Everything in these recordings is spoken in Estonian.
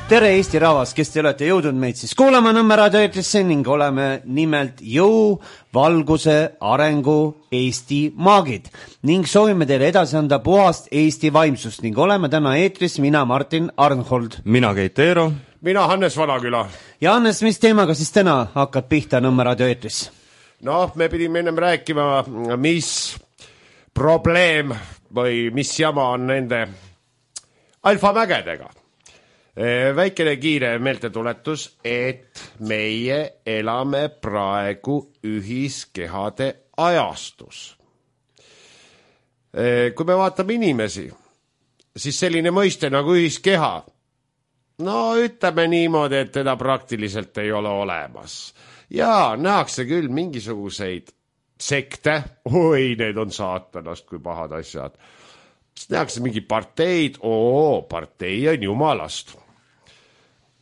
Tere Eesti rahvas, kes te olete jõudnud meid siis kuulama Nõmme raadioeetrisse ning oleme nimelt jõu, valguse, arengu Eesti maagid ning soovime teile edasi anda puhast Eesti vaimsust ning oleme täna eetris mina Martin Arnhold. Mina Keit Eero. Mina Hannes Vanaküla. Ja Hannes, mis teemaga siis täna hakkad pihta Nõmme raadioeetris? No, me pidime ennem rääkima, mis probleem või mis jama on nende alfamägedega. Väikene kiire meeltetuletus, et meie elame praegu ühiskehade ajastus. Kui me vaatame inimesi, siis selline mõiste nagu ühiskeha, no ütleme niimoodi, et teda praktiliselt ei ole olemas. Ja nähakse küll mingisuguseid sekte, oi, need on saatanast, kui pahad asjad. Nähakse mingi parteid, partei on jumalast.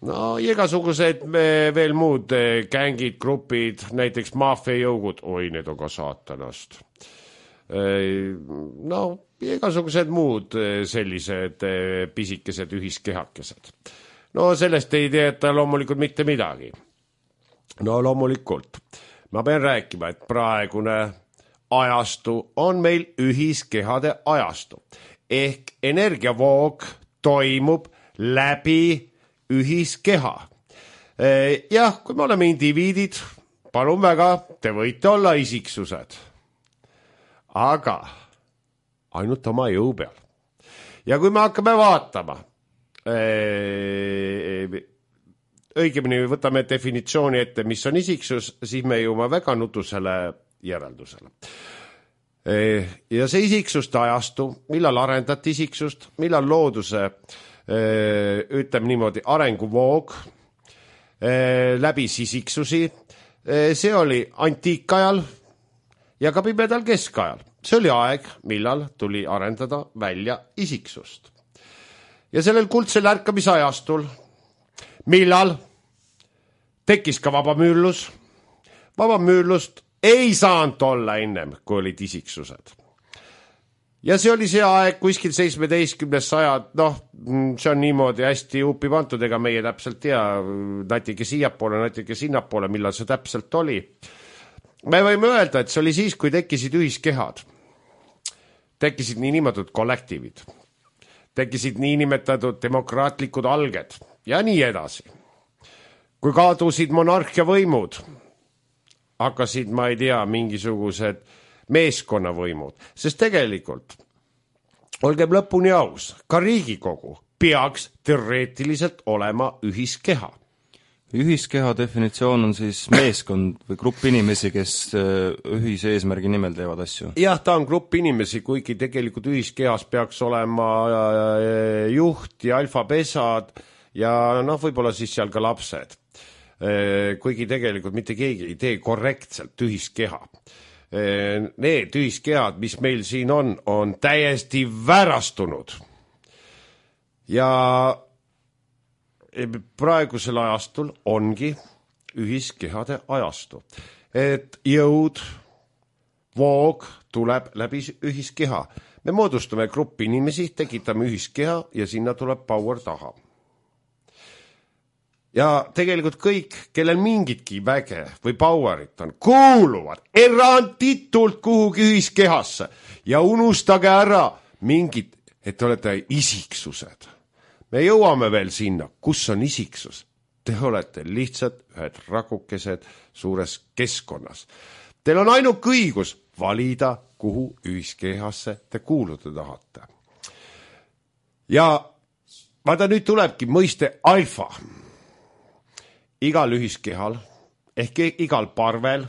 No igasugused veel muud gängid, grupid, näiteks maffiajõugud, oi, need on ka saatanast. No igasugused muud sellised pisikesed ühiskehakesed. No sellest ei teeta loomulikult mitte midagi. No loomulikult. Ma pean rääkima, et praegune ajastu on meil ühiskehade ajastu. Ehk energiavoog toimub läbi ühiskeha. Jah, kui me oleme indiviidid, palun väga, te võite olla isiksused. Aga ainult oma jõu peal. Ja kui me hakkame vaatama, õigemini võtame definitsiooni ette, mis on isiksus, siis me jõuame väga nutusele järeldusele. Ja see isiksuste ajastu, millal arendati isiksust, millal looduse ütleme niimoodi arenguvoog läbis isiksusi, see oli antiikajal ja ka pimedal keskajal. See oli aeg, millal tuli arendada välja isiksust. Ja sellel kuldsel ärkamisajastul, millal tekkis ka vabamüürlus, vabamüürlust ei saanud olla ennem, kui olid isiksused. Ja see oli see aeg kuskil 17. sajad, see on niimoodi hästi upi pantud, ega meie täpselt tea, natuke siiapoole, natuke sinnapoole, millal see täpselt oli. Me võime öelda, et see oli siis, kui tekkisid ühiskehad. Tekkisid niinimetatud kollektiivid. Tekkisid niinimetatud demokraatlikud alged ja nii edasi. Kui kadusid monarhia võimud, hakkasid, ma ei tea, mingisugused meeskonnavõimud, sest tegelikult, olgem lõpuni aus, ka Riigikogu peaks teoreetiliselt olema ühiskeha. Ühiskeha definitsioon on siis meeskond või grupp inimesi, kes ühise eesmärgi nimel teevad asju. Jah, ta on grupp inimesi, kuigi tegelikult ühiskehas peaks olema juht ja alfapesad ja võib-olla siis seal ka lapsed. Kuigi tegelikult mitte keegi ei tee korrektselt ühiskeha. Need ühiskehad, mis meil siin on täiesti väärastunud. Ja praegusel ajastul ongi ühiskehade ajastu. Et jõud, voog tuleb läbi ühiskeha. Me moodustame gruppi inimesi, tekitame ühiskeha ja sinna tuleb power taha. Ja tegelikult kõik, kellel mingitki väge või powerit on, kuuluvad eranditult kuhugi ühiskehasse ja unustage ära mingid, et te olete isiksused. Me jõuame veel sinna, kus on isiksus. Te olete lihtsalt ühed rakukesed suures keskkonnas. Teil on ainult õigus valida, kuhu ühiskehasse te kuuluda tahate. Ja vaata, nüüd tulebki mõiste alfa. Igal ühiskehal, ehk igal parvel,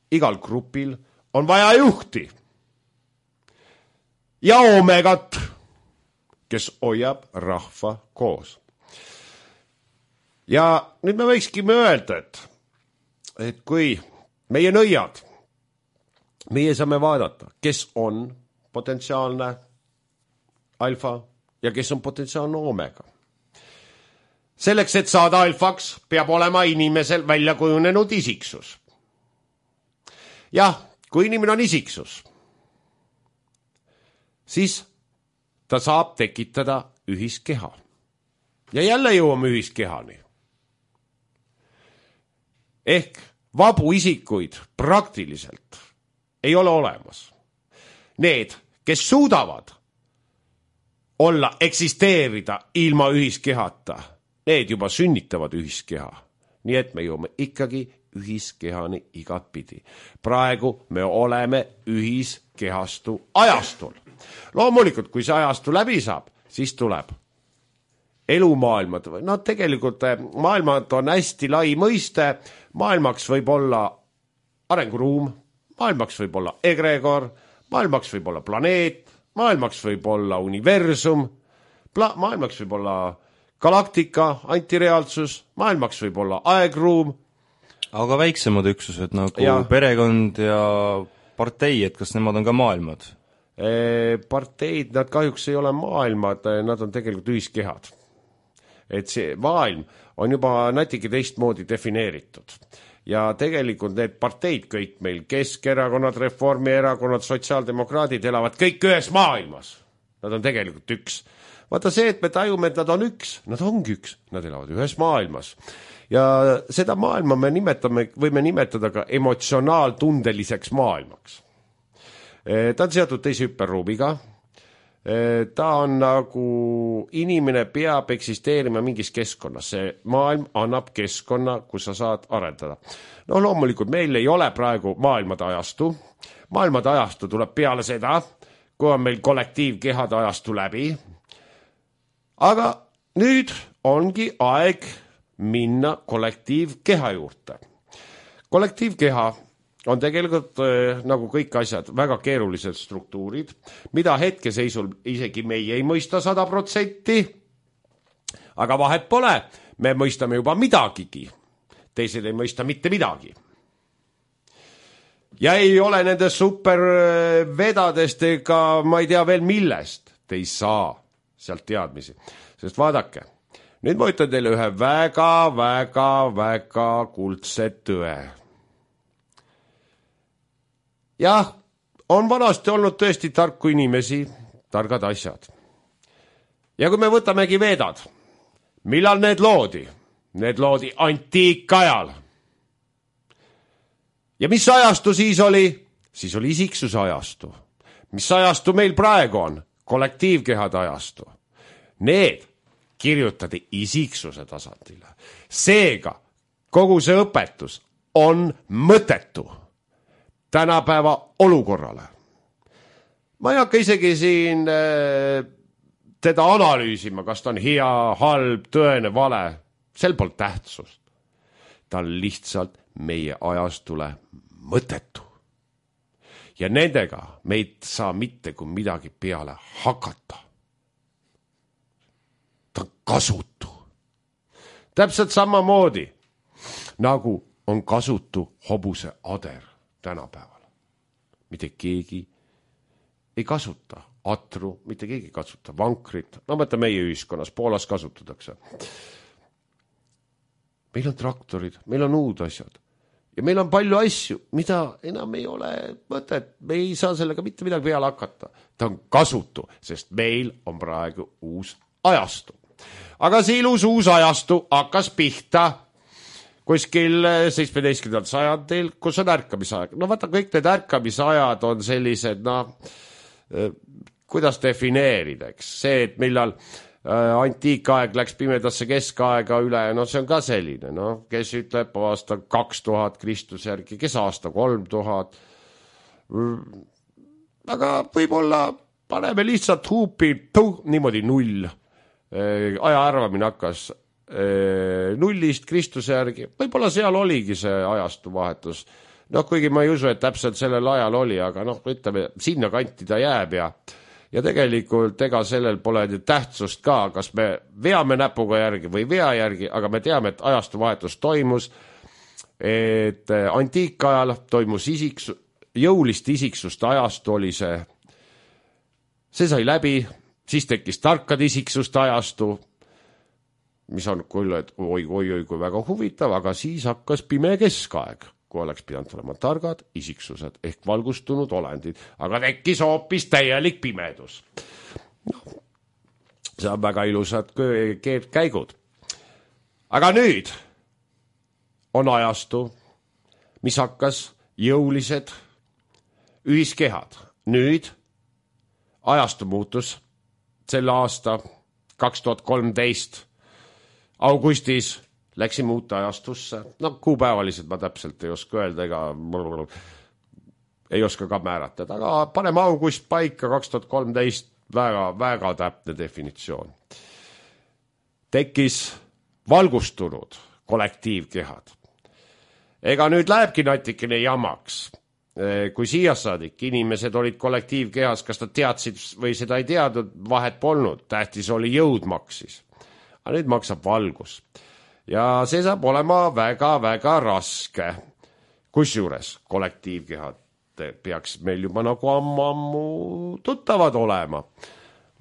igal grupil on vaja juhti. Ja omegat, kes hoiab rahva koos. Ja nüüd me võikskime öelda, et kui meie nõiad, meie saame vaadata, kes on potentsiaalne alfa ja kes on potentsiaalne omega. Selleks, et saada alfaks, peab olema inimesel välja kujunenud isiksus. Jah, kui inimene on isiksus, siis ta saab tekitada ühiskeha. ja jälle jõuame ühiskehani. Ehk vabu isikuid praktiliselt ei ole olemas. Need, kes suudavad olla, eksisteerida ilma ühiskehata, need juba sünnitavad ühiskeha. Nii et me jõuame ikkagi ühiskehani igatpidi. Praegu me oleme ühiskehastu ajastul. Loomulikult, kui see ajastu läbi saab, siis tuleb elumaailmad. No tegelikult maailmad on hästi lai mõiste. Maailmaks võib olla arenguruum, maailmaks võib olla egregor, maailmaks võib olla planeet, maailmaks võib olla universum, maailmaks võib olla galaktika, antireaalsus, maailmaks võib olla aegruum. Aga väiksemad üksused nagu perekond ja partei, et kas nemad on ka maailmad? Parteid, nad kahjuks ei ole maailmad, nad on tegelikult ühiskehad. Et see maailm on juba natuke teistmoodi defineeritud. Ja tegelikult need parteid kõik meil, Keskerakonnad, Reformierakonnad, sotsiaaldemokraadid elavad kõik ühes maailmas. Nad on tegelikult üks. Vaata see, et me tajume, et nad on üks, nad ongi üks, nad elavad ühes maailmas. Ja seda maailma me võime nimetada ka emotsionaaltundeliseks maailmaks. Ta on seotud teise hüperruumiga. Ta on nagu inimene peab eksisteerima mingis keskkonnas. See maailm annab keskkonna, kus sa saad arendada. No loomulikult meil ei ole praegu maailmade ajastu. Maailmade ajastu tuleb peale seda, kui on meil kollektiivkehade ajastu läbi. Aga nüüd ongi aeg minna kollektiivkeha juurde. Kollektiivkeha on tegelikult nagu kõik asjad väga keerulised struktuurid, mida hetkeseisul isegi meie ei mõista 100%, aga vahet pole, me mõistame juba midagigi, teised ei mõista mitte midagi. Ja ei ole nende supervedadest ega ma ei tea veel millest, te ei saa sealt teadmisi, sest vaadake, nüüd ma ütlen teile ühe väga kuldse tõe. Jah, on vanasti olnud tõesti tarku inimesi, targad asjad. Ja kui me võtamegi vedad, millal need loodi? Need loodi antiikajal. Ja mis ajastu siis oli? Siis oli isiksuse ajastu. Mis ajastu meil praegu on? Kollektiivkehade ajastu. Need kirjutati isiksuse tasandile. Seega kogu see õpetus on mõttetu tänapäeva olukorrale. Ma ei hakka isegi siin teda analüüsima, kas ta on hea, halb, tõene, vale. Sel pole tähtsust. Ta on lihtsalt meie ajastule mõttetu. Ja nendega meid saa mitte kui midagi peale hakata. Ta on kasutu. Täpselt samamoodi, nagu on kasutu hobuse ader tänapäeval. Mitte keegi ei kasuta atru, mitte keegi ei kasuta vankrit. No mõtle meie ühiskonnas, Poolas kasutatakse. Meil on traktorid, meil on uud asjad. Ja meil on palju asju, mida enam ei ole mõtet. Me ei saa sellega mitte midagi peale hakata. Ta on kasutu, sest meil on praegu uus ajastu. Aga see ilus uus ajastu hakkas pihta kuskil 17. sajandil, kus on ärkamisaeg. No vaata, kõik need ärkamisajad on sellised, kuidas defineerida, eks? See, et millal antiikaeg läks pimedasse keskaega üle, see on ka selline, kes ütleb aasta 2000 Kristuse järgi, kes aasta 3000. Aga võib-olla paneme lihtsalt huupi, niimoodi 0. Aja arvamine hakkas nullist Kristuse järgi. Võib-olla seal oligi see ajastu vahetus. Kuigi ma ei usu, et täpselt sellel ajal oli, aga ütleme, sinna kanti ta jääb ja tegelikult ega sellel pole tähtsust ka, kas me veame näpuga järgi või vea järgi, aga me teame, et ajastu vahetus toimus, et antiikajal toimus jõulist isiksust ajastu oli see sai läbi, siis tekkis tarkade isiksuste ajastu, mis on küll, et oi, kui väga huvitav, aga siis hakkas pime keskaeg, kui oleks pidanud olema targad isiksused ehk valgustunud olendid, aga tekkis hoopis täielik pimedus. see on väga ilusad käigud. Aga nüüd on ajastu, mis hakkas jõulised ühiskehad. Nüüd ajastu muutus selle aasta 2013 augustis läksime uute ajastusse. No kuupäevaliselt ma täpselt ei oska öelda ega ei oska ka määratada, aga paneme august paika 2013 väga täpne definitsioon. Tekkis valgustunud kollektiivkehad. Ega nüüd lähebki natikene jamaks. Kui siia saadik inimesed olid kollektiivkehas, kas nad teadsid või seda ei teadnud, vahet polnud. Tähtis oli jõud maksis. Aga nüüd maksab valgus. Ja see saab olema väga raske. Kusjuures kollektiivkehad peaks meil juba nagu ammu tuttavad olema.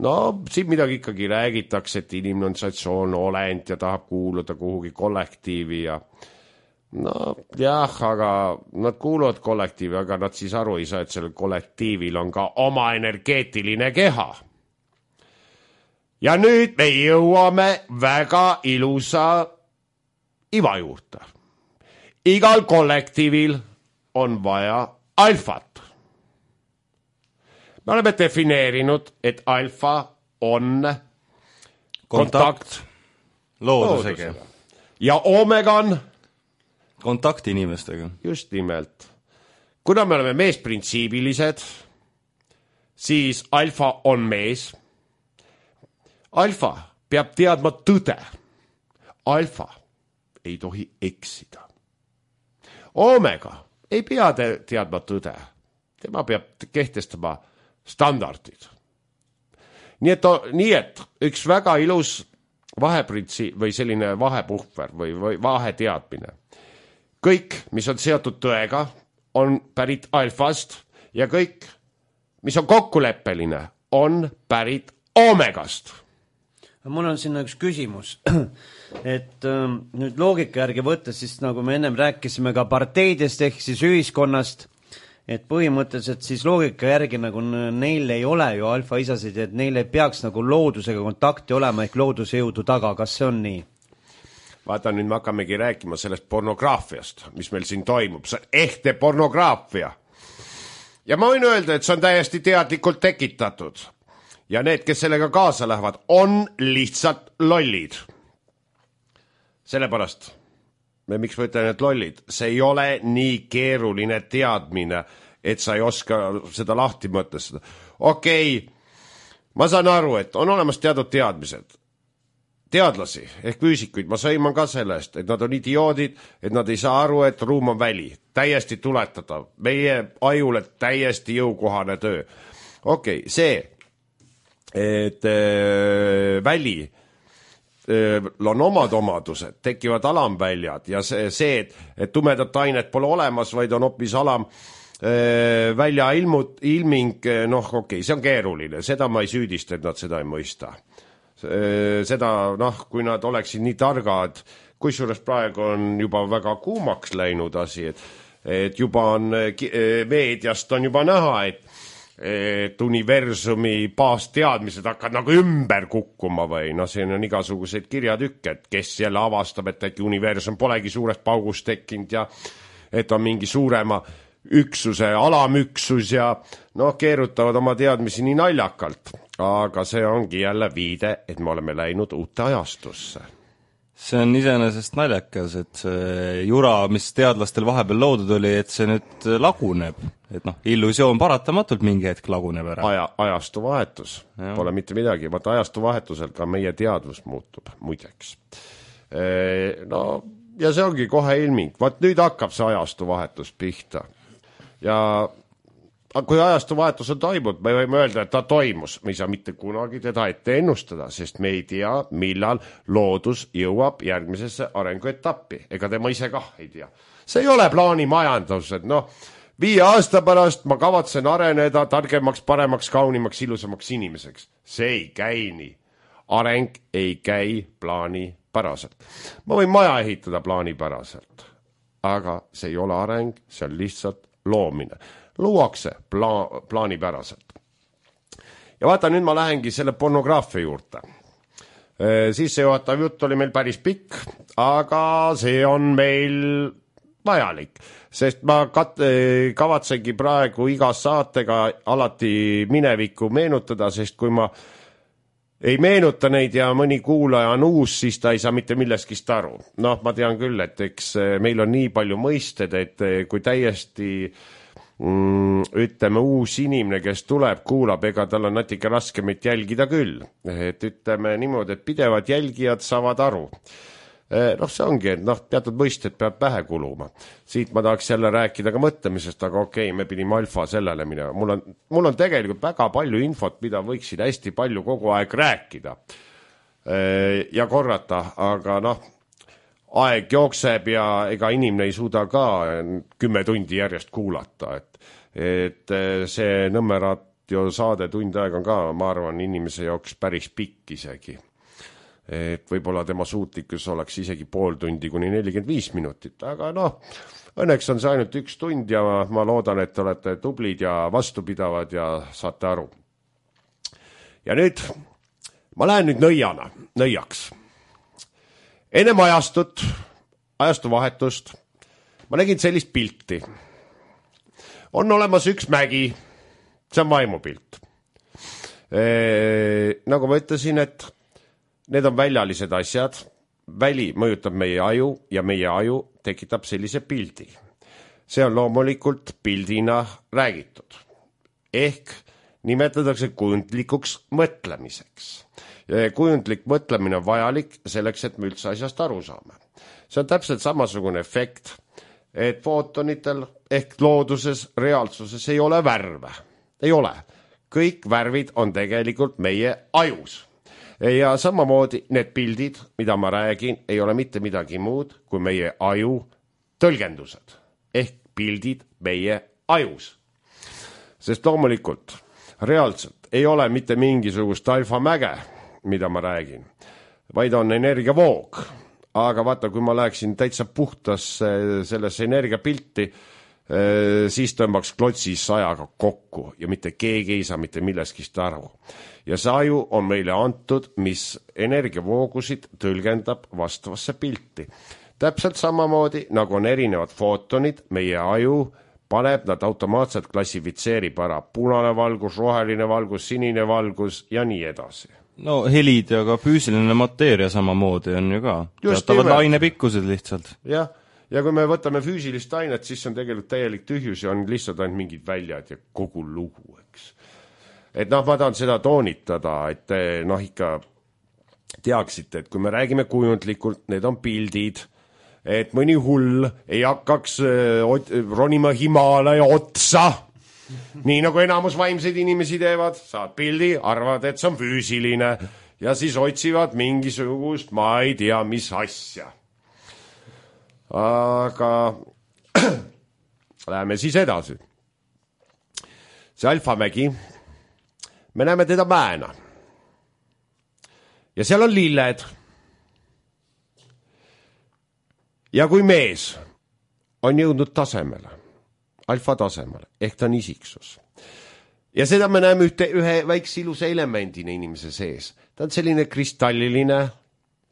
No, siin midagi ikkagi räägitakse, et inimene on sotsiaalne olend ja tahab kuuluda kuhugi kollektiivi ja no jah, aga nad kuuluvad kollektiivi, aga nad siis aru ei saa, et sellel kollektiivil on ka oma energeetiline keha. Ja nüüd me jõuame väga ilusa iva juurde. Igal kollektiivil on vaja alfat. Me oleme defineerinud, et alfa on kontakt loodusega. Ja omega on kontakt inimestega. Just nimelt. Kuna me oleme meesprintsiibilised, siis alfa on mees. Alfa peab teadma tõde. Alfa ei tohi eksida. Omega ei pea teadma tõde. Tema peab kehtestama standardid. Nii et üks väga ilus vaheprintsiip või selline vahepuhver või vaheteadmine. Kõik, mis on seotud tõega, on pärit alfast ja kõik, mis on kokkuleppeline, on pärit omegast. Mul on sinna üks küsimus, et nüüd loogika järgi võttes, siis nagu me ennem rääkisime ka parteidest ehk siis ühiskonnast, et põhimõtteliselt siis loogika järgi nagu neil ei ole ju alfa-isasid, et neil ei peaks nagu loodusega kontakti olema ehk looduse jõudu taga, kas see on nii? Vaata, nüüd me hakkamegi rääkima sellest pornograafiast, mis meil siin toimub. See on ehte pornograafia. Ja ma võin öelda, et see on täiesti teadlikult tekitatud. Ja need, kes sellega kaasa lähevad, on lihtsalt lollid. Sellepärast, miks ma ütlen, et lollid? See ei ole nii keeruline teadmine, et sa ei oska seda lahti mõtestada. Okei, ma saan aru, et on olemas teatud teadmised. Teadlasi ehk füüsikuid, ma sõiman ka sellest, et nad on idioodid, et nad ei saa aru, et ruum on väli. Täiesti tuletada. Meie ajule täiesti jõukohane töö. Okei, see, et väli on omad omadused, tekivad alamväljad ja see, et tumedat ainet pole olemas, vaid on hoopis välja ilming, noh okei, see on keeruline, seda ma ei süüdista, et nad seda ei mõista. Seda, kui nad oleksid nii targad, kusjuures praegu on juba väga kuumaks läinud asi, et juba on meediast on juba näha, et universumi baasteadmised hakkavad nagu ümber kukkuma või siin on igasuguseid kirjatükke, et kes jälle avastab, et äkki universum polegi suurest paugust tekkinud ja et on mingi suurema üksuse, alamüksus ja keerutavad oma teadmisi nii naljakalt. Aga see ongi jälle viide, et me oleme läinud uute ajastusse. See on iseenesest naljakas, et see jura, mis teadlastel vahepeal loodud oli, et see nüüd laguneb. Et illusioon paratamatult mingi hetk laguneb ära. Ajastu vahetus. Pole mitte midagi. Vaata, ajastu vahetusel ka meie teadvus muutub, muideks. Ja see ongi kohe ilming. Vaat nüüd hakkab see ajastu vahetus pihta. Ja kui ajastu vahetus on toimunud, me võime öelda, et ta toimus. Me ei saa mitte kunagi teda ette ennustada, sest me ei tea, millal loodus jõuab järgmisesse arenguetappi. Ega tema ise kah ei tea. See ei ole plaanimajandus, et 5 aasta pärast ma kavatsen areneda targemaks, paremaks, kaunimaks, ilusamaks inimeseks. See ei käi nii. Areng ei käi plaanipäraselt. Ma võin maja ehitada plaanipäraselt, aga see ei ole areng, see on lihtsalt loomine. Luuakse plaanipäraselt. Ja vaata, nüüd ma lähengi selle pornograafia juurde. Sissejuhatav jutt oli meil päris pikk, aga see on meil vajalik, sest ma kavatsengi praegu iga saatega alati minevikku meenutada, sest kui ma ei meenuta neid ja mõni kuulaja on uus, siis ta ei saa mitte milleskist aru. Noh, ma tean küll, et eks meil on nii palju mõisted, et kui täiesti ütleme uus inimene, kes tuleb, kuulab, ega tal on natuke raske meid jälgida küll. Et ütleme niimoodi, et pidevad jälgijad saavad aru. Noh, see ongi, et teatud mõisted peab pähe kuluma. Siit ma tahaks jälle rääkida ka mõtlemisest, aga okei, me pidime alfa sellele minema. Mul on tegelikult väga palju infot, mida võiksid hästi palju kogu aeg rääkida ja korrata, aga aeg jookseb ja ega inimene ei suuda ka 10 tundi järjest kuulata, et see Nõmmeradio saade tund aega on ka, ma arvan, inimese jaoks päris pikk isegi. Et võib-olla tema suutlikkus oleks isegi pool tundi kuni 45 minutit, aga õnneks on see ainult 1 tund ja ma loodan, et olete tublid ja vastupidavad ja saate aru. Ja nüüd, ma lähen nüüd nõiaks. Ennem ajastu vahetust, ma nägin sellist pilti. On olemas üks mägi, see on vaimupilt. Nagu ma ütlesin, et need on väljalised asjad, väli mõjutab meie aju ja meie aju tekitab sellise pildi. See on loomulikult pildina räägitud. Ehk nimetatakse kujundlikuks mõtlemiseks. Kujundlik mõtlemine on vajalik selleks, et me üldse asjast aru saame. See on täpselt samasugune efekt, et footonitel ehk looduses, reaalsuses ei ole värve. Ei ole. Kõik värvid on tegelikult meie ajus. Ja samamoodi need pildid, mida ma räägin, ei ole mitte midagi muud kui meie aju tõlgendused. Ehk pildid meie ajus. Sest loomulikult, reaalselt ei ole mitte mingisugust alfamäge, mida ma räägin, vaid on energiavoog. Aga vaata, kui ma läheksin täitsa puhtas sellesse energiapilti, siis tõmbaks klotsis ajaga kokku ja mitte keegi ei saa mitte milleskist aru. Ja see aju on meile antud, mis energiavoogusid tõlgendab vastavasse pilti. Täpselt samamoodi, nagu on erinevad footonid, meie aju paneb nad automaatselt klassifitseerib ära punane valgus, roheline valgus, sinine valgus ja nii edasi. No helid ja ka füüsiline mateeria samamoodi on ju ka. Teatavad lainepikkused lihtsalt. Jah. Ja kui me võtame füüsilist ainet, siis on tegelikult täielik tühjus ja on lihtsalt ainult mingid väljad ja kogu lugu, eks. Et ma tahan seda toonitada, et ikka teaksite, et kui me räägime kujundlikult, need on pildid, et mõni hull ei hakkaks ronima Himaalaja otsa, nii nagu enamus vaimseid inimesi teevad, saad pildi, arvad, et see on füüsiline ja siis otsivad mingisugust, ma ei tea, mis asja. Aga läheme siis edasi. See alfamägi, me näeme teda mäena. Ja seal on lilled. Ja kui mees on jõudnud tasemele, alfa tasemele, ehk ta on isiksus. Ja seda me näeme ühe väikse ilusa elemendina inimese sees. Ta on selline kristalliline,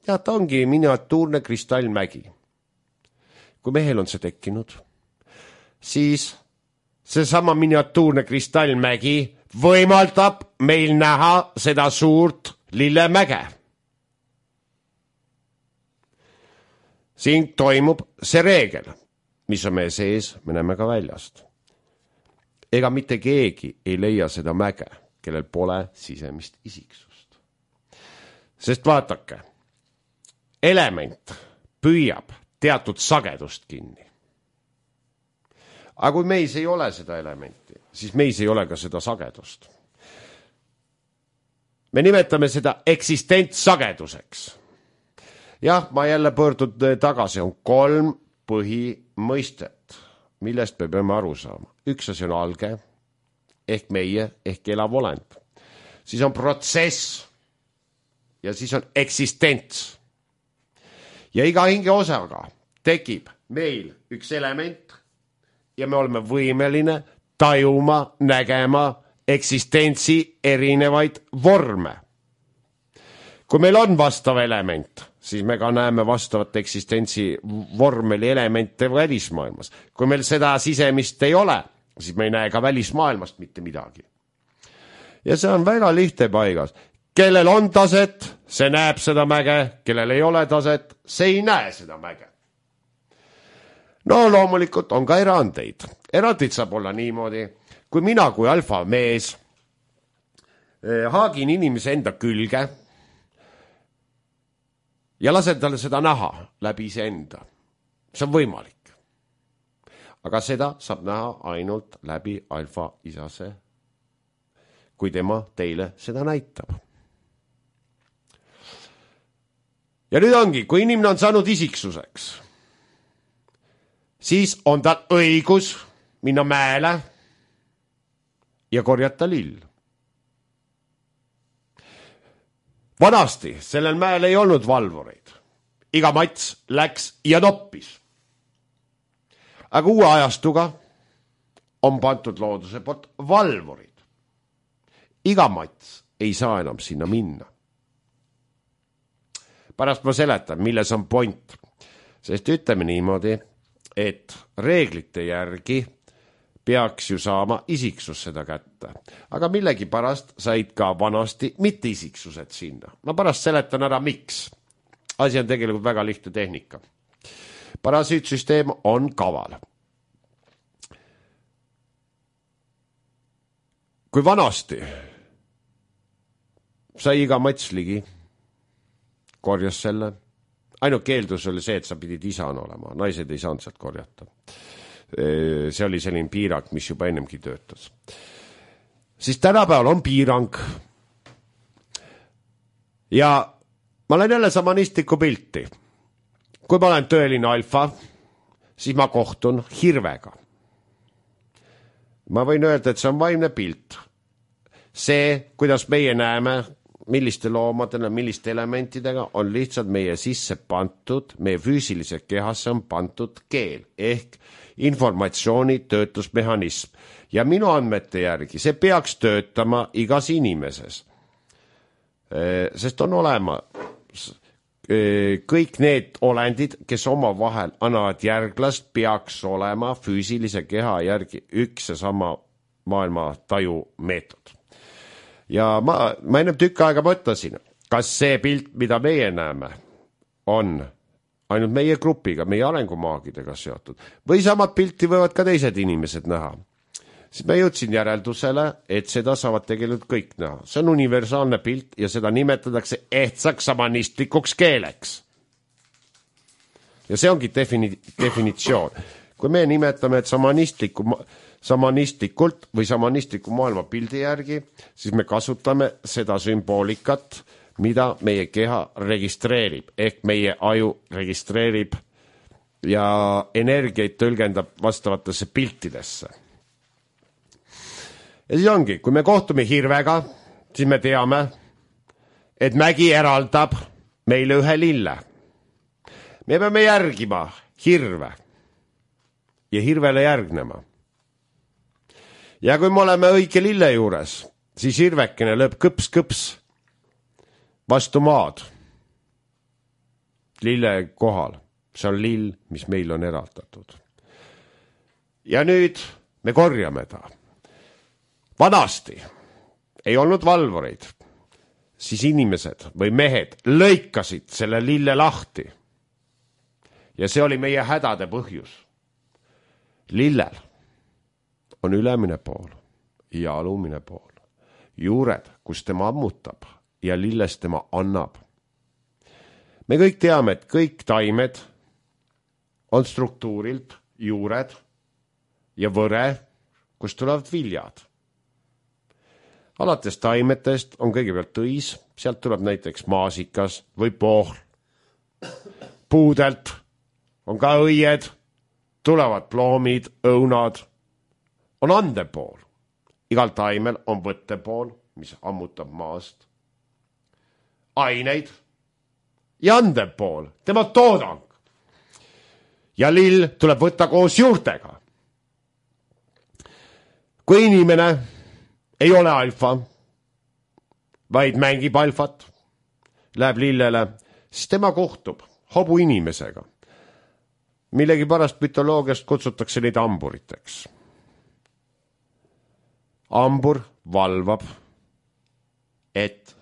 ja ta ongi miniatuurne kristallmägi. Kui mehel on see tekkinud, siis seesama miniatuurne kristallmägi võimaldab meil näha seda suurt lillemäge. Siin toimub see reegel, mis on meie sees, me näeme ka väljast. Ega mitte keegi ei leia seda mäge, kellel pole sisemist isiksust. Sest vaatake, element püüab teatud sagedust kinni. Aga kui meis ei ole seda elementi, siis meis ei ole ka seda sagedust. Me nimetame seda eksistentsageduseks. Jah, ma jälle pöördun tagasi, on 3 põhimõistet, millest me peame aru saama. Üks asi on alge, ehk meie, ehk elav olend. Siis on protsess ja siis on eksistents. Ja iga hinge osaga tekib meil üks element ja me oleme võimeline tajuma, nägema eksistentsi erinevaid vorme. kui meil on vastav element, siis me ka näeme vastavat eksistentsi vormeli elemente välismaailmas. Kui meil seda sisemist ei ole, siis me ei näe ka välismaailmast mitte midagi. Ja see on väga lihtne paigas. Kellel on taset, see näeb seda mäge, kellel ei ole taset, see ei näe seda mäge. No loomulikult on ka erandeid. Erandid saab olla niimoodi, kui mina kui alfa mees haagin inimese enda külge ja lasen talle seda näha läbi iseenda. See on võimalik. Aga seda saab näha ainult läbi alfa isase, kui tema teile seda näitab. Ja nüüd ongi, kui inimene on saanud isiksuseks, siis on tal õigus minna mäele ja korjata lill. Vanasti sellel mäel ei olnud valvureid. Iga mats läks ja noppis. Aga uue ajastuga on pandud looduse poolt valvurid. Iga mats ei saa enam sinna minna. Pärast ma seletan, milles on point. Sest ütleme niimoodi, et reeglite järgi peaks ju saama isiksus seda kätte. Aga millegi pärast said ka vanasti mitte isiksused sinna. Ma pärast seletan ära, miks. Asi on tegelikult väga lihtne tehnika. Parasiitsüsteem on kaval. Kui vanasti sai iga mats ligi, korjas selle. Ainult keeldus oli see, et sa pidid isana olema. Naised ei saanud sealt korjata. See oli selline piirang, mis juba ennemgi töötas. Siis tänapäeval on piirang. Ja ma olen jälle samanistliku pilti. Kui ma olen tõeline alfa, siis ma kohtun hirvega. Ma võin öelda, et see on vaimne pilt. See, kuidas meie näeme, milliste loomadena, milliste elementidega on lihtsalt meie sisse pantud, meie füüsilise kehasse on pantud keel ehk informatsiooni töötlusmehhanism. Ja minu andmete järgi see peaks töötama igas inimeses. Sest on olema kõik need olendid, kes oma vahel annavad järglast, peaks olema füüsilise keha järgi üks ja sama maailma taju meetod. Ja ma ennem tükk aega mõtlesin, kas see pilt, mida meie näeme, on ainult meie grupiga, meie arengumaagidega seotud. Või samad pilti võivad ka teised inimesed näha. Siis ma jõudsin järeldusele, et seda saavad tegelikult kõik näha. See on universaalne pilt ja seda nimetatakse ehtsaks samanistlikuks keeleks. Ja see ongi definitsioon. Kui me nimetame, et samanistlikult või samanistliku maailma pildi järgi, siis me kasutame seda sümboolikat, mida meie keha registreerib, ehk meie aju registreerib ja energiaid tõlgendab vastavatesse piltidesse. Ja siis ongi, kui me kohtume hirvega, siis me teame, et mägi eraldab meile ühe lille. Me peame järgima hirve ja hirvele järgnema. Ja kui me oleme õige lille juures, siis hirvekene lööb kõps-kõps vastu maad. Lille kohal. See on lill, mis meil on eraldatud. Ja nüüd me korjame ta. Vanasti ei olnud valvureid, siis inimesed või mehed lõikasid selle lille lahti. Ja see oli meie hädade põhjus. Lillel on ülemine pool ja alumine pool. Juured, kus tema ammutab ja lilles tema annab. Me kõik teame, et kõik taimed on struktuurilt juured ja võre, kus tulevad viljad. Alates taimetest on kõigepealt õis, sealt tuleb näiteks maasikas või pohl. Puudelt on ka õied, tulevad ploomid, õunad. On andepool. Igal taimel on võttepool, mis ammutab maast. Aineid ja andepool, tema toodang. Ja lill tuleb võtta koos juurtega. Kui inimene ei ole alfa, vaid mängib alfat, läheb lillele, siis tema kohtub hobu inimesega. Millegi pärast mütoloogiast kutsutakse neid amburiteks. Ambur valvab, et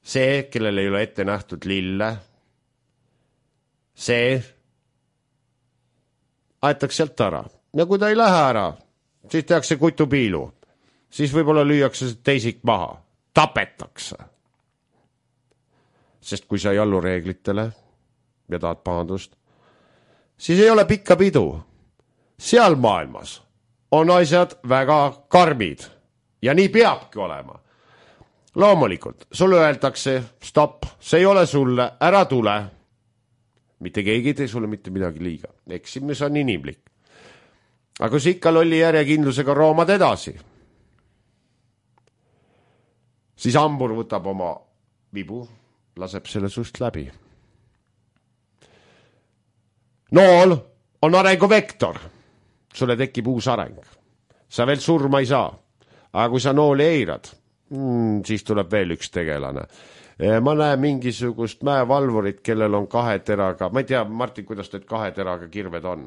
see, kellel ei ole ette nähtud lille, see aetakse sealt ära. Ja kui ta ei lähe ära, siis tehakse kutupiilu. Siis võib-olla lüüakse teisik maha. Tapetakse. Sest kui sa ei allu reeglitele ja tahad pahandust, siis ei ole pikka pidu. Seal maailmas on asjad väga karmid ja nii peabki olema. Loomulikult, sulle öeldakse, stopp, see ei ole sulle, ära tule. Mitte keegi ei tee sulle mitte midagi liiga. Eksimus on inimlik. Aga kui sa ikka lolli järjekindlusega roomad edasi, siis ambur võtab oma vibu, laseb selle sust läbi. Nool on arenguvektor. Sulle tekib uus areng. Sa veel surma ei saa. Aga kui sa nooli eirad, siis tuleb veel üks tegelane. Ma näen mingisugust mäevalvurit, kellel on 2 teraga. Ma ei tea, Martin, kuidas need 2 teraga kirved on?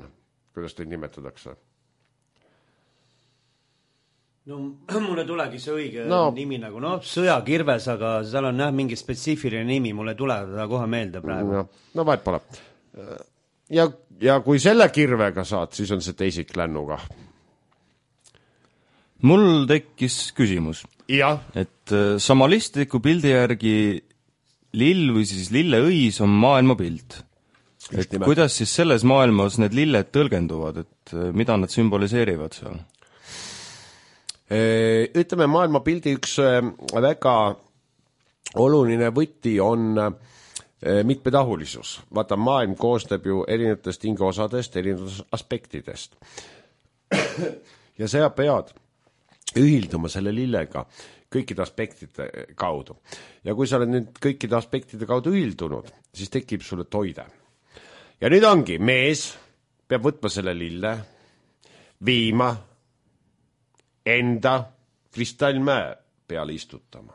Kuidas teid nimetatakse? No mulle tulegi see õige nimi nagu, sõjakirves, aga seal on mingi spetsiifiline nimi, mulle tuleb ta kohe meelde praegu. No vahet pole. Ja kui selle kirvega saad, siis on see teisik lännuga. Mul tekkis küsimus. Ja. Et samalistliku pildi järgi lill või siis lilleõis on maailma pilt. Et kuidas siis selles maailmas need lilled tõlgenduvad, et mida nad sümboliseerivad seal? Ütleme, maailma pildi üks väga oluline võti on mitmetahulisus. Vaata, maailm koosneb ju erinevatest hingeosadest, erinevatest aspektidest. Ja sa pead ühilduma selle lillega kõikide aspektide kaudu. Ja kui sa oled nüüd kõikide aspektide kaudu ühildunud, siis tekib sulle toide. Ja nüüd ongi, mees peab võtma selle lille, viima enda kristallmäe peale istutama.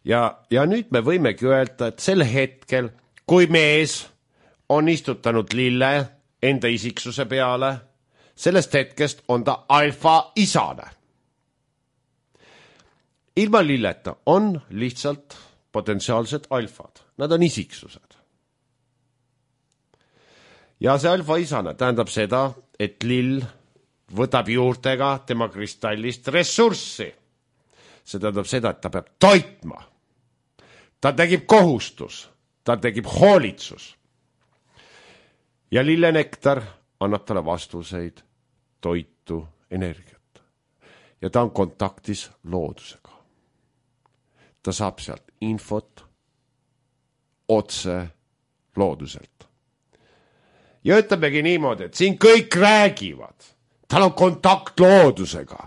Ja nüüd me võimegi öelda, et sel hetkel, kui mees on istutanud lille enda isiksuse peale, sellest hetkest on ta alfa isane. Ilma lilleta on lihtsalt potentsiaalsed alfad. Nad on isiksused. Ja see alfa isane tähendab seda, et lill võtab juurtega tema kristallist ressurssi. See tähendab seda, et ta peab toitma. Ta tegib kohustus, ta tegib hoolitsus. Ja lillenektar annab talle vastuseid, toitu, energiat. Ja ta on kontaktis loodusega. Ta saab sealt infot otse looduselt. Ja ütlemegi niimoodi, et siin kõik räägivad. Tal on kontakt loodusega.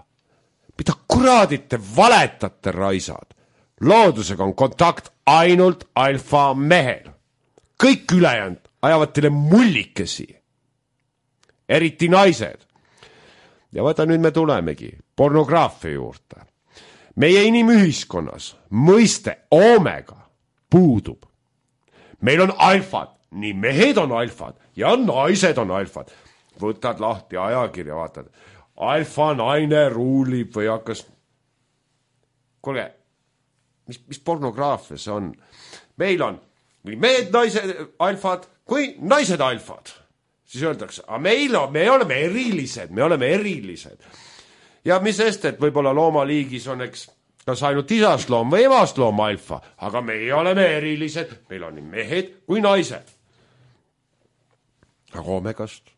Mida kuradit te valetate, raisad? Loodusega on kontakt ainult alfa mehel. Kõik ülejäänud ajavad teile mullikesi. Eriti naised. Ja vaata, nüüd me tulemegi pornograafia juurde. Meie inimühiskonnas mõiste omega puudub. Meil on alfad, nii mehed on alfad ja naised on alfad. Võtad lahti ajakirja, vaatad. Alfa naine ruulib või hakkas... Kuulge, mis pornograafia see on? Meil on nii mehed naised alfad kui naised alfad. Siis öeldakse, me oleme erilised. Ja mis sest, et võib-olla loomaliigis on kas ainult isast loom või emast loom alfa, aga meie oleme erilised, meil on nii mehed kui naised. Aga omegast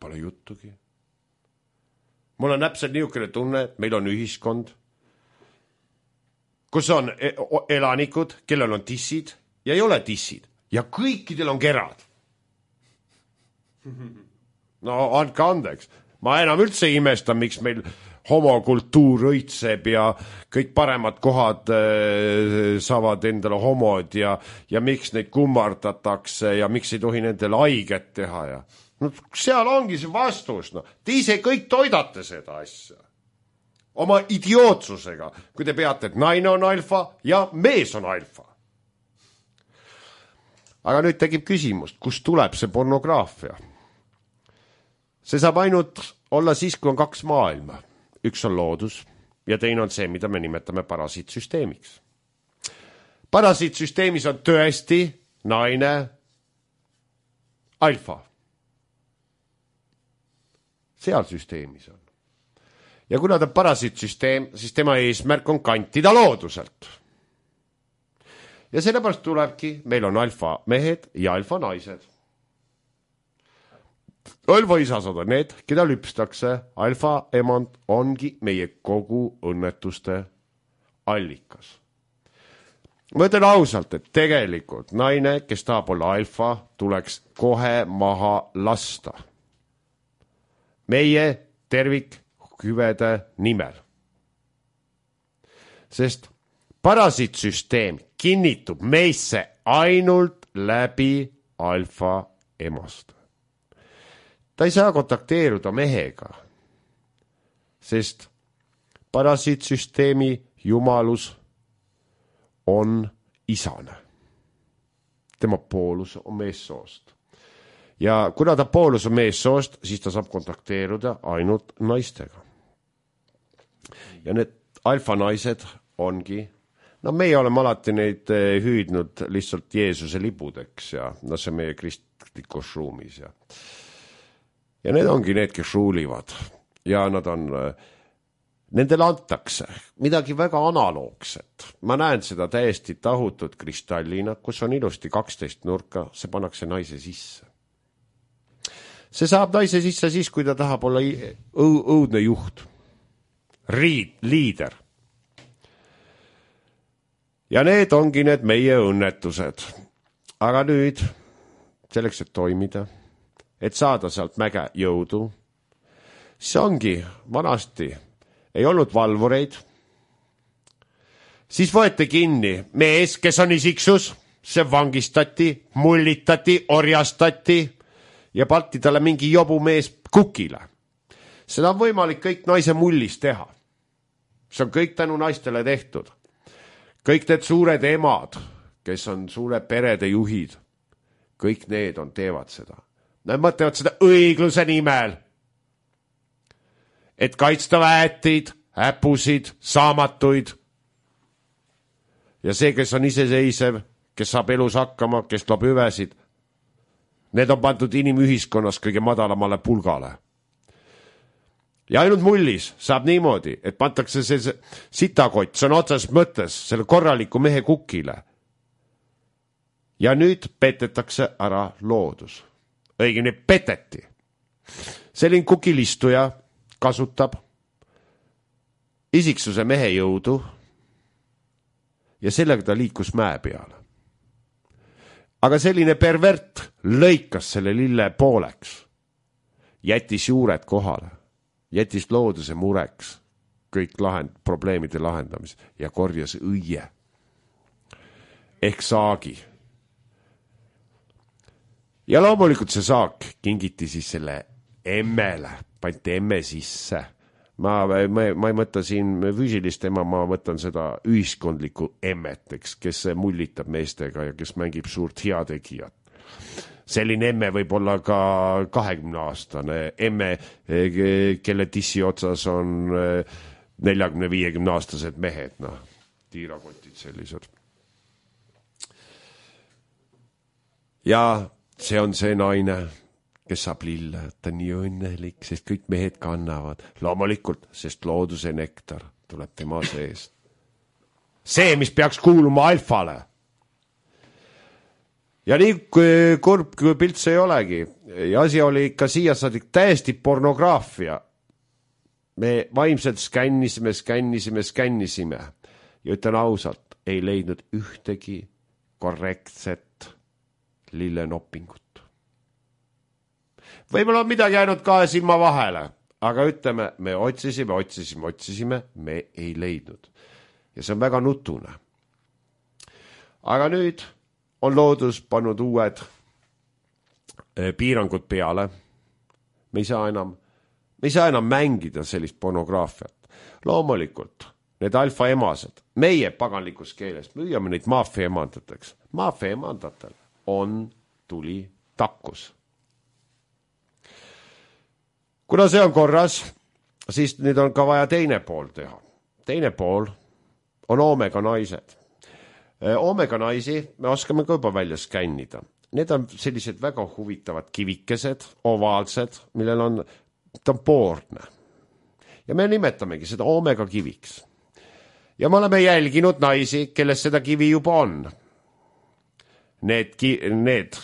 pole juttugi. Mul on täpselt niisugune tunne, et meil on ühiskond, kus on elanikud, kellel on tissid ja ei ole tissid ja kõikidel on kerad. No andke andeks. Ma enam üldse imestan, miks meil homokultuur õitseb ja kõik paremad kohad saavad endale homod ja miks neid kummardatakse ja miks ei tohi nendele haiget teha. Ja. No, seal ongi see vastus. No. Te ise kõik toidate seda asja. oma idiootsusega, kui te peate, et naine on alfa ja mees on alfa. Aga nüüd tekib küsimus, kust tuleb see pornograafia? See saab ainult olla siis, kui on kaks maailma. Üks on loodus ja teine on see, mida me nimetame parasiitsüsteemiks. Parasiitsüsteemis on tõesti naine alfa. Seal süsteemis on. Ja kuna ta parasiitsüsteem, siis tema eesmärk on kantida looduselt. Ja sellepärast tulebki, meil on alfa mehed ja alfa naised. Alfa isasad on need, keda lüpstakse. Alfa emand ongi meie kogu õnnetuste allikas. Ma ütlen ausalt, et tegelikult naine, kes tahab olla alfa, tuleks kohe maha lasta. Meie tervikhüvede nimel. Sest parasiitsüsteem kinnitub meisse ainult läbi alfa emast. Ta ei saa kontakteeruda mehega, sest parasiitsüsteemi jumalus on isane. Tema poolus on meessoost. Ja kuna ta poolus on meessoost, siis ta saab kontakteeruda ainult naistega. Ja need alfa naised ongi, no meie oleme alati neid hüüdnud lihtsalt Jeesuse libudeks ja no see meie kristlikus ruumis. Ja need ongi need, kes ruulivad ja nad on, nendele antakse midagi väga analoogset. Ma näen seda täiesti tahutut kristallina, kus on ilusti 12 nurka, see pannakse naise sisse. See saab naise sisse siis, kui ta tahab olla õudne juht, liider. Ja need ongi need meie õnnetused. Aga nüüd, selleks, et toimida, et saada sealt mäge jõudu, see ongi vanasti, ei olnud valvureid, siis võeti kinni mees, kes on isiksus, see vangistati, mullitati, orjastati ja palti talle mingi jobu mees kukile. Seda on võimalik kõik naise mullis teha. See on kõik tänu naistele tehtud. Kõik need suured emad, kes on suure perede juhid, kõik need teevad seda. Nad mõtlevad seda õigluse nimel, et kaitsta väetid, äpusid, saamatuid. Ja see, kes on iseseisev, kes saab elus hakkama, kes loob hüvesid, need on pandud inimühiskonnas kõige madalamale pulgale. Ja ainult mullis saab niimoodi, et pantakse see sitakott, see on otses mõttes selle korraliku mehe kukile. Ja nüüd petetakse ära loodus. Õigemini peteti. Selline kukilistuja kasutab isiksuse mehe jõudu ja sellega ta liikus mäe peale. Aga selline pervert lõikas selle lille pooleks, jättis juured kohale. Jättis looduse mureks kõik probleemide lahendamis ja korjas õie ehk saagi. Ja loomulikult see saak kingiti siis selle emmele, pandi emme sisse. Ma ei mõtta siin füüsilist ema, ma võtan seda ühiskondlikku emmet, kes mullitab meestega ja kes mängib suurt heategijat. Selline emme võib olla ka 20-aastane emme, kelle tissi otsas on 40-50-aastased mehed, tiirakotid sellised. Ja see on see naine, kes saab lille, ta on nii õnnelik, sest kõik mehed kannavad. Loomulikult, sest looduse nektar tuleb tema seest. See, mis peaks kuuluma alfale. Ja nii kurb kui pilt see ei olegi. Ja asi oli ikka siia saadik täiesti pornograafia. Me vaimselt skännisime. Ja ütlen ausalt, ei leidnud ühtegi korrektset lillenoppingut. Võib-olla on midagi jäänud kahe silma vahele, aga ütleme, me otsisime, me ei leidnud. Ja see on väga nutune. Aga nüüd on loodus pannud uued piirangud peale. Me ei saa enam mängida sellist pornograafiat. Loomulikult, need alfa emased, meie paganlikus keeles, müüame neid maafia emandateks. Maafia emandatel on tuli takkus. Kuna see on korras, siis nüüd on ka vaja teine pool teha. Teine pool on oomega naised. Oomega naisi me oskame ka juba välja skännida. Need on sellised väga huvitavad kivikesed, ovaalsed, millel on, ta on poorne. Ja me nimetamegi seda oomega kiviks. Ja me oleme jälginud naisi, kelles seda kivi juba on. Need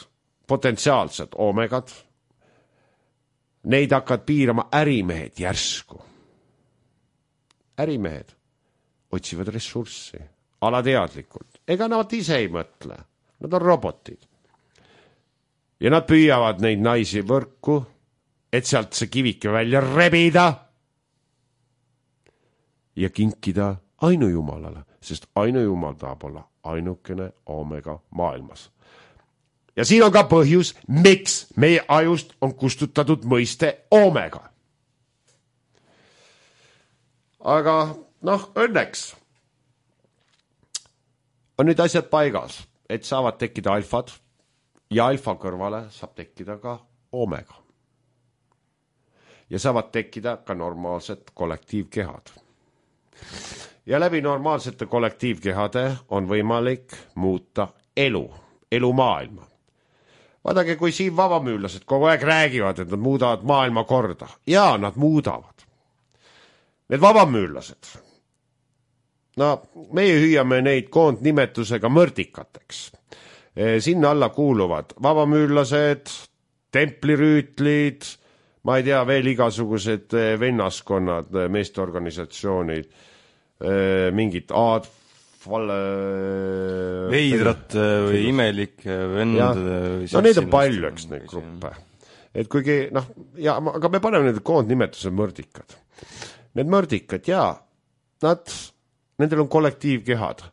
potentsiaalsed oomegad, neid hakkavad piirama ärimehed järsku. Ärimehed otsivad ressurssi, alateadlikult. Ega nad ise ei mõtle, nad on robotid. Ja nad püüavad neid naisi võrku, et sealt see kivike välja rebida ja kinkida ainujumalale, sest ainujumal tahab olla ainukene oomega maailmas. Ja siin on ka põhjus, miks meie ajust on kustutatud mõiste oomega. Aga õnneks on nüüd asjad paigas, et saavad tekkida alfad ja alfa kõrvale saab tekkida ka oomega. Ja saavad tekkida ka normaalsed kollektiivkehad. Ja läbi normaalsete kollektiivkehade on võimalik muuta elu maailma. Vaadake, kui siin vabamüürlased kogu aeg räägivad, et nad muudavad maailma korda. Ja nad muudavad. Need vabamüürlased. Meie hüüame neid koondnimetusega mõrdikateks. Sinna alla kuuluvad vabamüürlased, templirüütlid, ma ei tea, veel igasugused vennaskonnad, meesteorganisatsioonid, mingid veidrat või imelik vend. Need on palju, eks neid gruppe. Et kuigi, aga me paneme need koondnimetuse mõrdikad. Need mõrdikad, nendel on kollektiivkehad.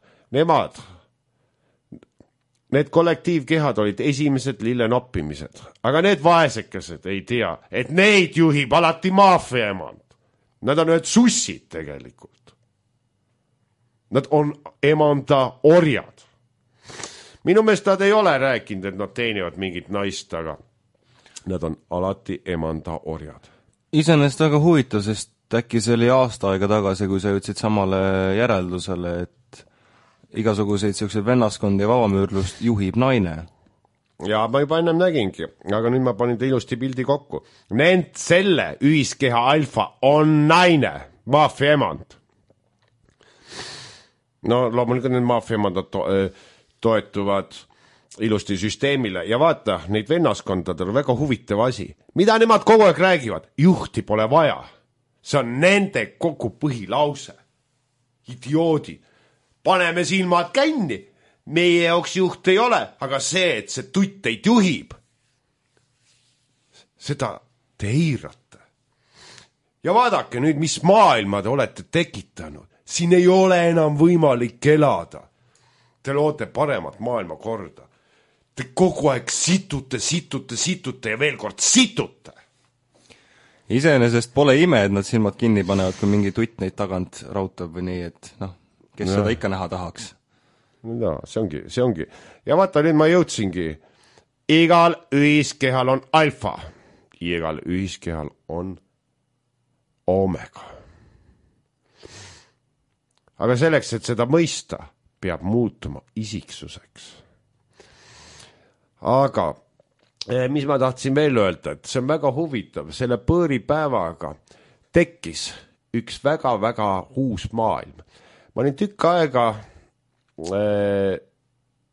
Need kollektiivkehad olid esimesed lillenoppimised, aga need vaesekesed ei tea, et neid juhib alati maafia emand. Nad on need sussid tegelikult. Nad on emanda orjad. Minu meelest nad ei ole rääkinud, et nad teenivad mingit naist, aga nad on alati emanda orjad. Iseenesest väga huvitav, sest äkki see oli aasta aega tagasi, kui sa jõudsid samale järeldusele, et igasuguseid selliseid vennaskondi ja vabamüürlust juhib naine. Ja ma juba ennem nägingi, aga nüüd ma panin ta ilusti pildi kokku. Selle ühiskeha alfa on naine, maafia emand. Loomulikult need maafia emandad toetuvad ilusti süsteemile ja vaata, neid vennaskondadel on väga huvitav asi. Mida nemad kogu aeg räägivad? Juhti pole vaja. See on nende kogu põhilause. Idioodid. Paneme silmad känni. Meie jaoks juht ei ole, aga see, et see tutt teid juhib, seda te eirate. Ja vaadake nüüd, mis maailma te olete tekitanud. Siin ei ole enam võimalik elada. Te loote paremat maailma korda. Te kogu aeg situte ja veel kord situte. Iseenesest pole ime, et nad silmad kinni panevad, kui mingi tutt neid tagant rautab või nii, et kes seda ikka näha tahaks. See ongi. Ja vaata, nüüd ma jõudsingi. Igal ühiskehal on alfa. Igal ühiskehal on oomega. Aga selleks, et seda mõista, peab muutuma isiksuseks. Aga mis ma tahtsin veel öelda, et see on väga huvitav. Selle põõripäevaga tekkis üks väga-väga uus maailm. Ma olin tükk aega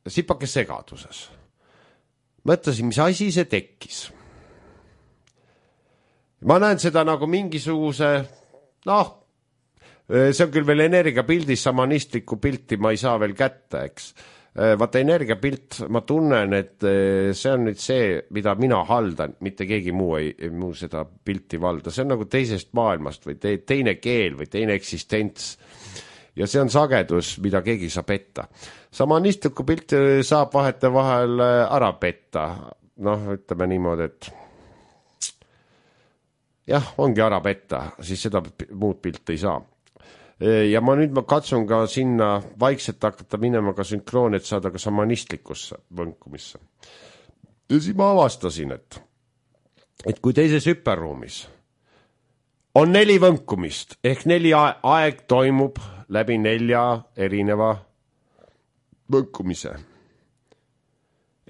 sipake segaduses. Mõtlesin, mis asi see tekkis. Ma näen seda nagu mingisuguse, see on küll veel energiapildis, samanistlikku pilti ma ei saa veel kätte, eks. Vaata energiapilt, ma tunnen, et see on nüüd see, mida mina haldan, mitte keegi muu seda pilti valda. See on nagu teisest maailmast või teine keel või teine eksistents. Ja see on sagedus, mida keegi saab petta. Samanistlikku pilti saab vahetevahel ära petta. Ütleme niimoodi, et ongi ära petta, siis seda muud pilt ei saa. ja ma katsun ka sinna vaikselt hakata minema ka sünkroon, et saada ka šamanistlikusse võnkumisse. Ja siis ma avastasin, et kui teises hüperruumis on 4 võnkumist, ehk 4 aeg toimub läbi 4 erineva võnkumise.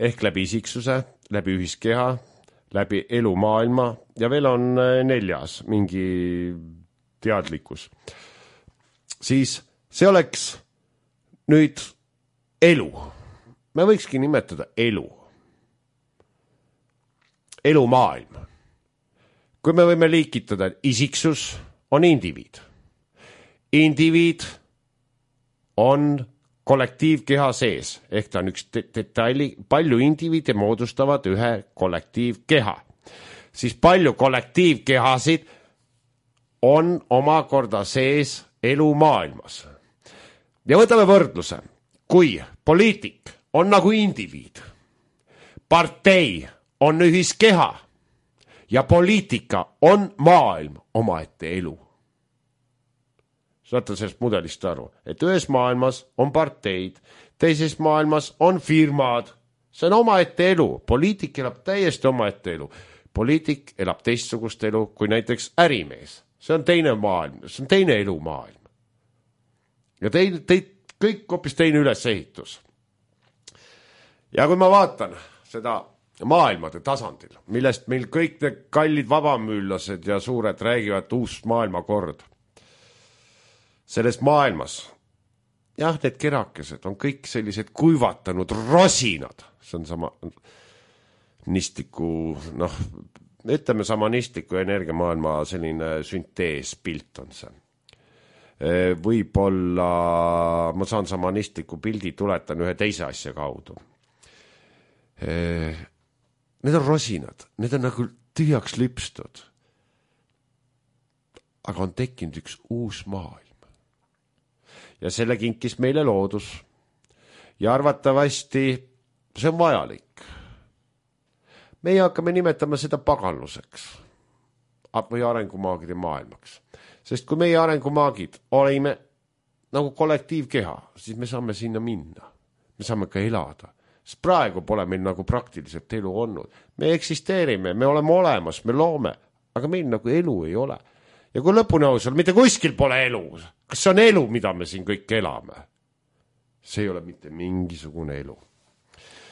Ehk läbi isiksuse, läbi ühiskeha, läbi elumaailma ja veel on 4. mingi teadlikkus. Siis see oleks nüüd elu. Me võikski nimetada elu. Elumaailm. Kui me võime liikitada, et isiksus on indiviid. Indiviid on kollektiivkeha sees, ehk ta on üks detaili, palju indiviide moodustavad ühe kollektiivkeha. Siis palju kollektiivkehasid on omakorda sees elumaailmas. Ja võtame võrdluse. Kui poliitik on nagu indiviid, partei on ühiskeha ja poliitika on maailm omaette elu. Saate sellest mudelist aru, et ühes maailmas on parteid, teises maailmas on firmad. See on omaette elu. Poliitik elab täiesti omaette elu. Poliitik elab teistsugust elu kui näiteks ärimees. See on teine maailm, see on teine elumaailm. Ja kõik hoopis teine ülesehitus. Ja kui ma vaatan seda maailmade tasandil, millest meil kõik need kallid vabamüüllased ja suured räägivad uus maailmakord. Selles maailmas, jah, need kerakesed on kõik sellised kuivatanud rosinad. See on sama nistiku, ütleme samanistliku energiamaailma selline sünteespilt on see. Võib-olla ma saan samanistliku pildi, tuletan ühe teise asja kaudu. Need on rosinad, need on nagu tühjaks lüpstud. Aga on tekkinud üks uus maailm. Ja selle kinkis meile loodus. Ja arvatavasti see on vajalik. Meie hakkame nimetama seda paganluseks või arengumaagide maailmaks. Sest kui meie arengumaagid olime nagu kollektiivkeha, siis me saame sinna minna. Me saame ka elada. Sest praegu pole meil nagu praktiliselt elu olnud. Me eksisteerime, me oleme olemas, me loome, aga meil nagu elu ei ole. Ja kui lõpuni ausal, mitte kuskil pole elu. Kas see on elu, mida me siin kõik elame? See ei ole mitte mingisugune elu.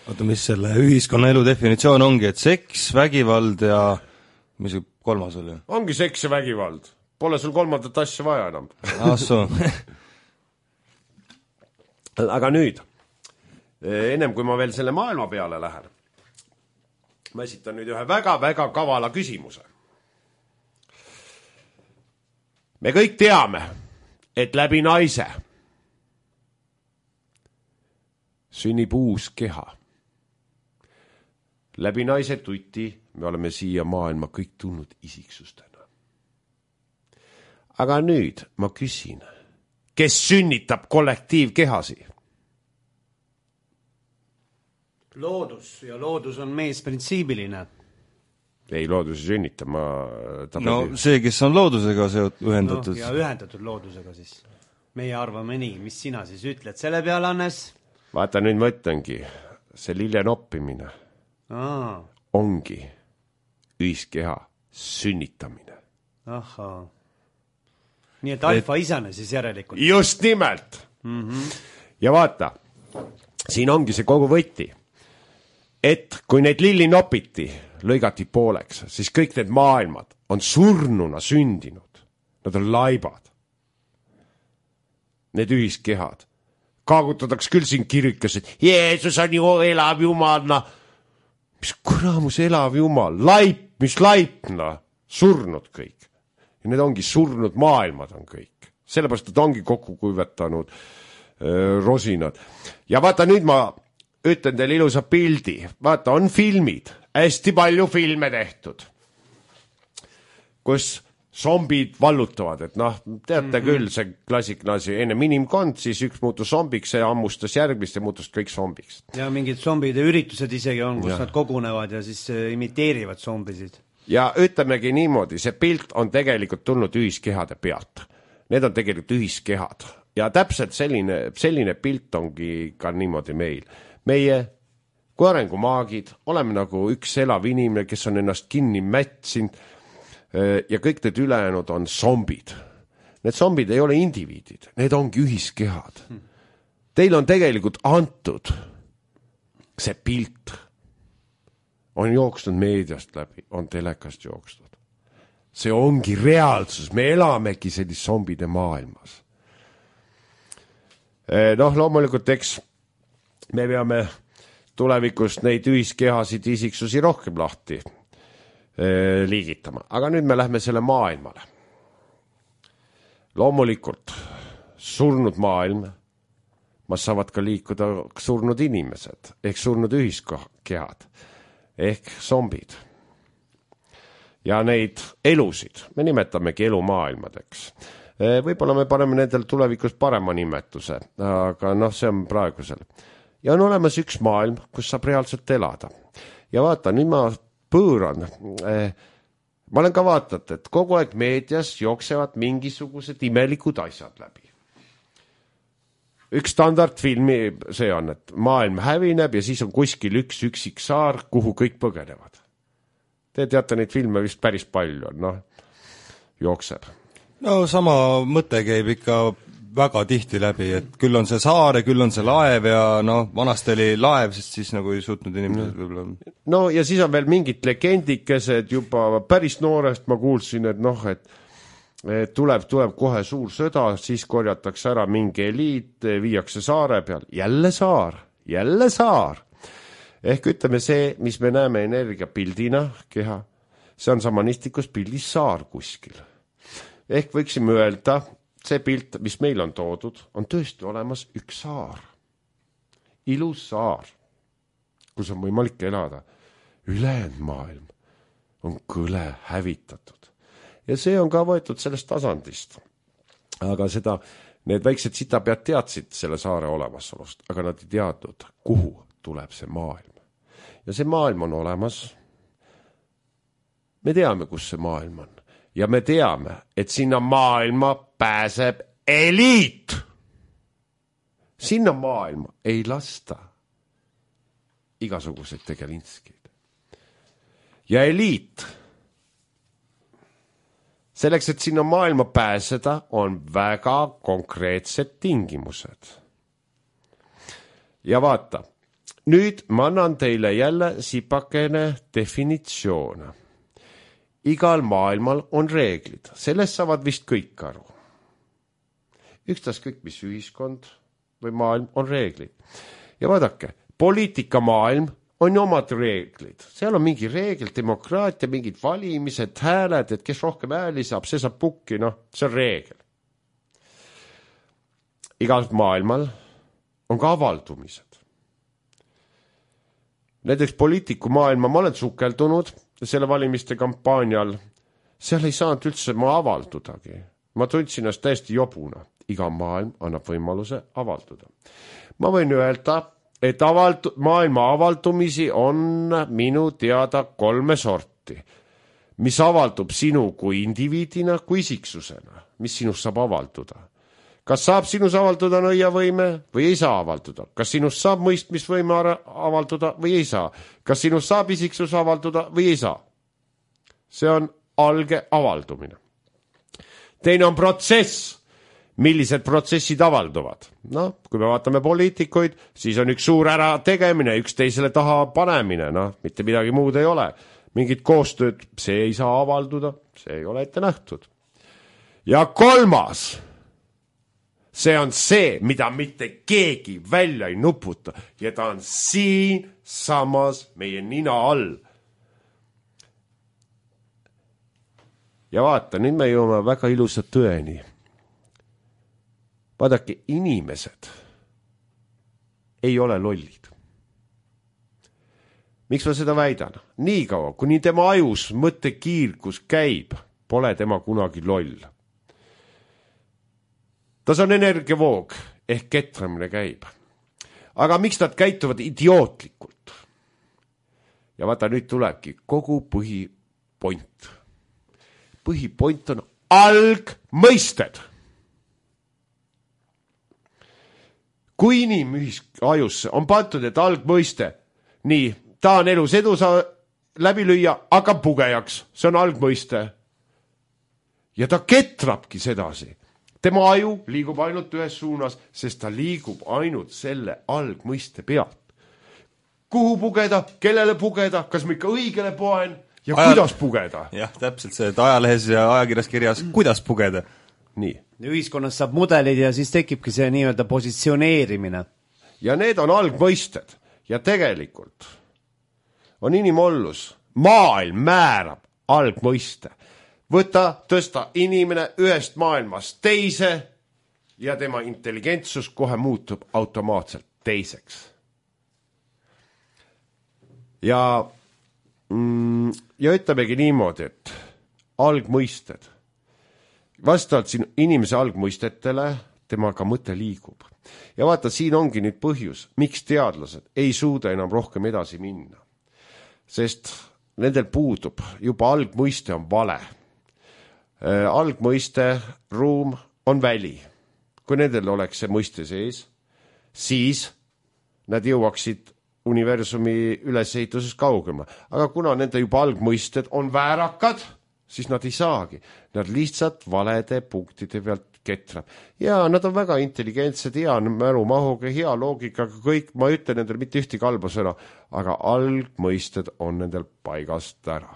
Oota, mis selle ühiskonna elu definitsioon ongi, et seks, vägivald ja mis see 3. oli? Ongi seks ja vägivald. Pole sul 3. asja vaja enam. Aga nüüd, ennem kui ma veel selle maailma peale lähen, ma esitan nüüd ühe väga-väga kavala küsimuse. Me kõik teame, et läbi naise sünnib uus keha. Läbi naise tuti me oleme siia maailma kõik tulnud isiksustena. Aga nüüd ma küsin, kes sünnitab kollektiivkehasi? Loodus ja loodus on meesprintsiibiline. Ei, loodus ei sünnita, see, kes on loodusega ühendatud. Ja ühendatud loodusega siis. Meie arvame nii, mis sina siis ütled selle peale, Hannes? Vaata, nüüd ma ütlengi, see lille noppimine ongi ühiskeha sünnitamine. Ahaa. Nii et alfa isane siis järelikult. Just nimelt. Ja vaata, siin ongi see kogu võti, et kui neid lilli nopiti, lõigati pooleks, siis kõik need maailmad on surnuna sündinud. Nad on laibad. Need ühiskehad. Kaagutadaks küll siin kirikas, et Jeesus on ju elav jumal. Mis kuramus elav jumal? Laip, mis laip? Surnud kõik. Ja need ongi surnud maailmad on kõik. Sellepärast, et ongi kokku kuivetanud rosinad. Ja vaata, nüüd ma ütlen teile ilusa pildi. Vaata, on filmid. Hästi palju filme tehtud. Kus zombid vallutavad, et teate küll, see klassikne asi, enne inimkond, siis üks muutus zombiks, see ammustas järgmist ja muutus kõik zombiks. Ja mingid zombide üritused isegi on, kus nad kogunevad ja siis imiteerivad zombisid. Ja ütlemegi niimoodi, see pilt on tegelikult tulnud ühiskehade pealt. need on tegelikult ühiskehad ja täpselt selline pilt ongi ka niimoodi meil. Meie kui arengumaagid oleme nagu üks elav inimene, kes on ennast kinni mätsinud ja kõik need ülejäänud on zombid. Need zombid ei ole indiviidid, need ongi ühiskehad. Teil on tegelikult antud see pilt, on jooksnud meediast läbi, on telekast jooksnud. See ongi reaalsus, me elamegi sellist zombide maailmas. Loomulikult, eks me peame tulevikus neid ühiskehasid isiksusi rohkem lahti liigitama. Aga nüüd me lähme selle maailmale. Loomulikult surnud maailm, mas saavad ka liikuda surnud inimesed, ehk surnud ühiskehad, ehk zombid. Ja neid elusid, me nimetamegi elumaailmadeks. Võib-olla me paneme nendel tulevikus parema nimetuse, aga see on praegusel. Ja on olemas üks maailm, kus saab reaalselt elada. Ja vaata, nüüd ma pööran. Ma olen ka vaatanud, et kogu aeg meedias jooksevad mingisugused imelikud asjad läbi. Üks standardfilmi see on, et maailm hävineb ja siis on kuskil üks üksik saar, kuhu kõik põgenevad. Te teate, neid filme vist päris palju on, jookseb. Sama mõte käib ikka väga tihti läbi, et küll on see saar ja küll on see laev ja vanasti oli laev, sest siis nagu ei suutnud inimesed võib-olla. Ja siis on veel mingid legendikesed juba päris noorest ma kuulsin, et tuleb kohe suur sõda, siis korjatakse ära mingi eliit, viiakse saare peal, jälle saar. Ehk ütleme see, mis me näeme energiapildina keha, see on samanistlikus pildis saar kuskil. Ehk võiksime öelda, see pilt, mis meil on toodud, on tõesti olemas üks saar. Ilus saar, kus on võimalik elada. Ülejäänud maailm on kõle hävitatud. Ja see on ka võetud sellest tasandist. Aga need väiksed sitapead teadsid selle saare olemasolust, aga nad ei teadnud, kuhu tuleb see maailm. Ja see maailm on olemas. Me teame, kus see maailm on. Ja me teame, et sinna maailma pääseb eliit. Sinna maailma ei lasta igasuguseid tegelinskid. Ja eliit, selleks, et sinna maailma pääseda, on väga konkreetsed tingimused. Ja vaata, nüüd ma annan teile jälle sipakene definitsioone. Igal maailmal on reeglid. Sellest saavad vist kõik aru. Ükstas kõik, mis ühiskond või maailm on reeglid. Ja vaadake, poliitikamaailm on ju omad reeglid. Seal on mingi reegel, demokraatia, mingid valimised, hääled, et kes rohkem hääli saab, see saab pukki, see on reegel. Igal maailmal on ka avaldumised. Näiteks poliitikumaailma ma olen sukeldunud selle valimiste kampaanial, seal ei saanud üldse ma avaldudagi. Ma tundsin ennast täiesti jobuna. Iga maailm annab võimaluse avalduda. Ma võin öelda, et maailma avaldumisi on minu teada 3 sorti, mis avaldub sinu kui indiviidina, kui isiksusena, mis sinust saab avalduda. Kas saab sinus avalduda nõiavõime või ei saa avalduda? Kas sinust saab mõistmisvõime avalduda või ei saa? Kas sinust saab isiksus avalduda või ei saa? See on alge avaldumine. Teine on protsess. Millised protsessid avalduvad? Kui me vaatame poliitikuid, siis on üks suur ära tegemine, üks teisele taha panemine, mitte midagi muud ei ole. Mingid koostööd, see ei saa avalduda, see ei ole ette nähtud. Ja 3. See on see, mida mitte keegi välja ei nuputa ja ta on siin samas meie nina all. Ja vaata, nüüd me jõuame väga ilusa tõeni. Vaadake, inimesed ei ole lollid. Miks ma seda väidan? Nii kaua, kuni tema ajus mõttekiirgus käib, pole tema kunagi loll. Tas on energiavoog ehk ketramine käib. Aga miks nad käituvad idiootlikult? Ja vaata, nüüd tulebki kogu põhipoint. Põhipoint on algmõisted. kui inimajusse on pandud, et algmõiste, nii, ta on elus edu läbi lüüa, hakkab pugejaks, see on algmõiste. Ja ta ketrabki sedasi. Tema aju liigub ainult ühes suunas, sest ta liigub ainult selle algmõiste pealt. Kuhu pugeda, kellele pugeda, kas ma ikka õigele poen ja kuidas pugeda? Jah, täpselt see, et ajalehes ja ajakirjas kirjas, kuidas pugeda. Nii. Ühiskonnas saab mudelid ja siis tekibki see nii-öelda positsioneerimine. Ja need on algmõisted ja tegelikult on inimollus. Maailm määrab algmõiste. Võta, tõsta inimene ühest maailmast teise ja tema intelligentsus kohe muutub automaatselt teiseks. Ja ütlemegi niimoodi, et algmõisted, vastavalt siin inimese algmõistetele, temaga mõte liigub. Ja vaata, siin ongi nüüd põhjus, miks teadlased ei suuda enam rohkem edasi minna. Sest nendel puudub, juba algmõiste on vale. Algmõiste ruum on väli. Kui nendel oleks see mõiste sees, siis nad jõuaksid universumi ülesehituses kaugema. Aga kuna nende juba algmõisted on väärakad, siis nad ei saagi. Nad lihtsalt valede punktide pealt ketrab. Ja nad on väga intelligentsed, hea mälumahuga, hea loogikaga, kõik, ma ütlen nendel mitte ühtegi halba sõna, aga algmõisted on nendel paigast ära.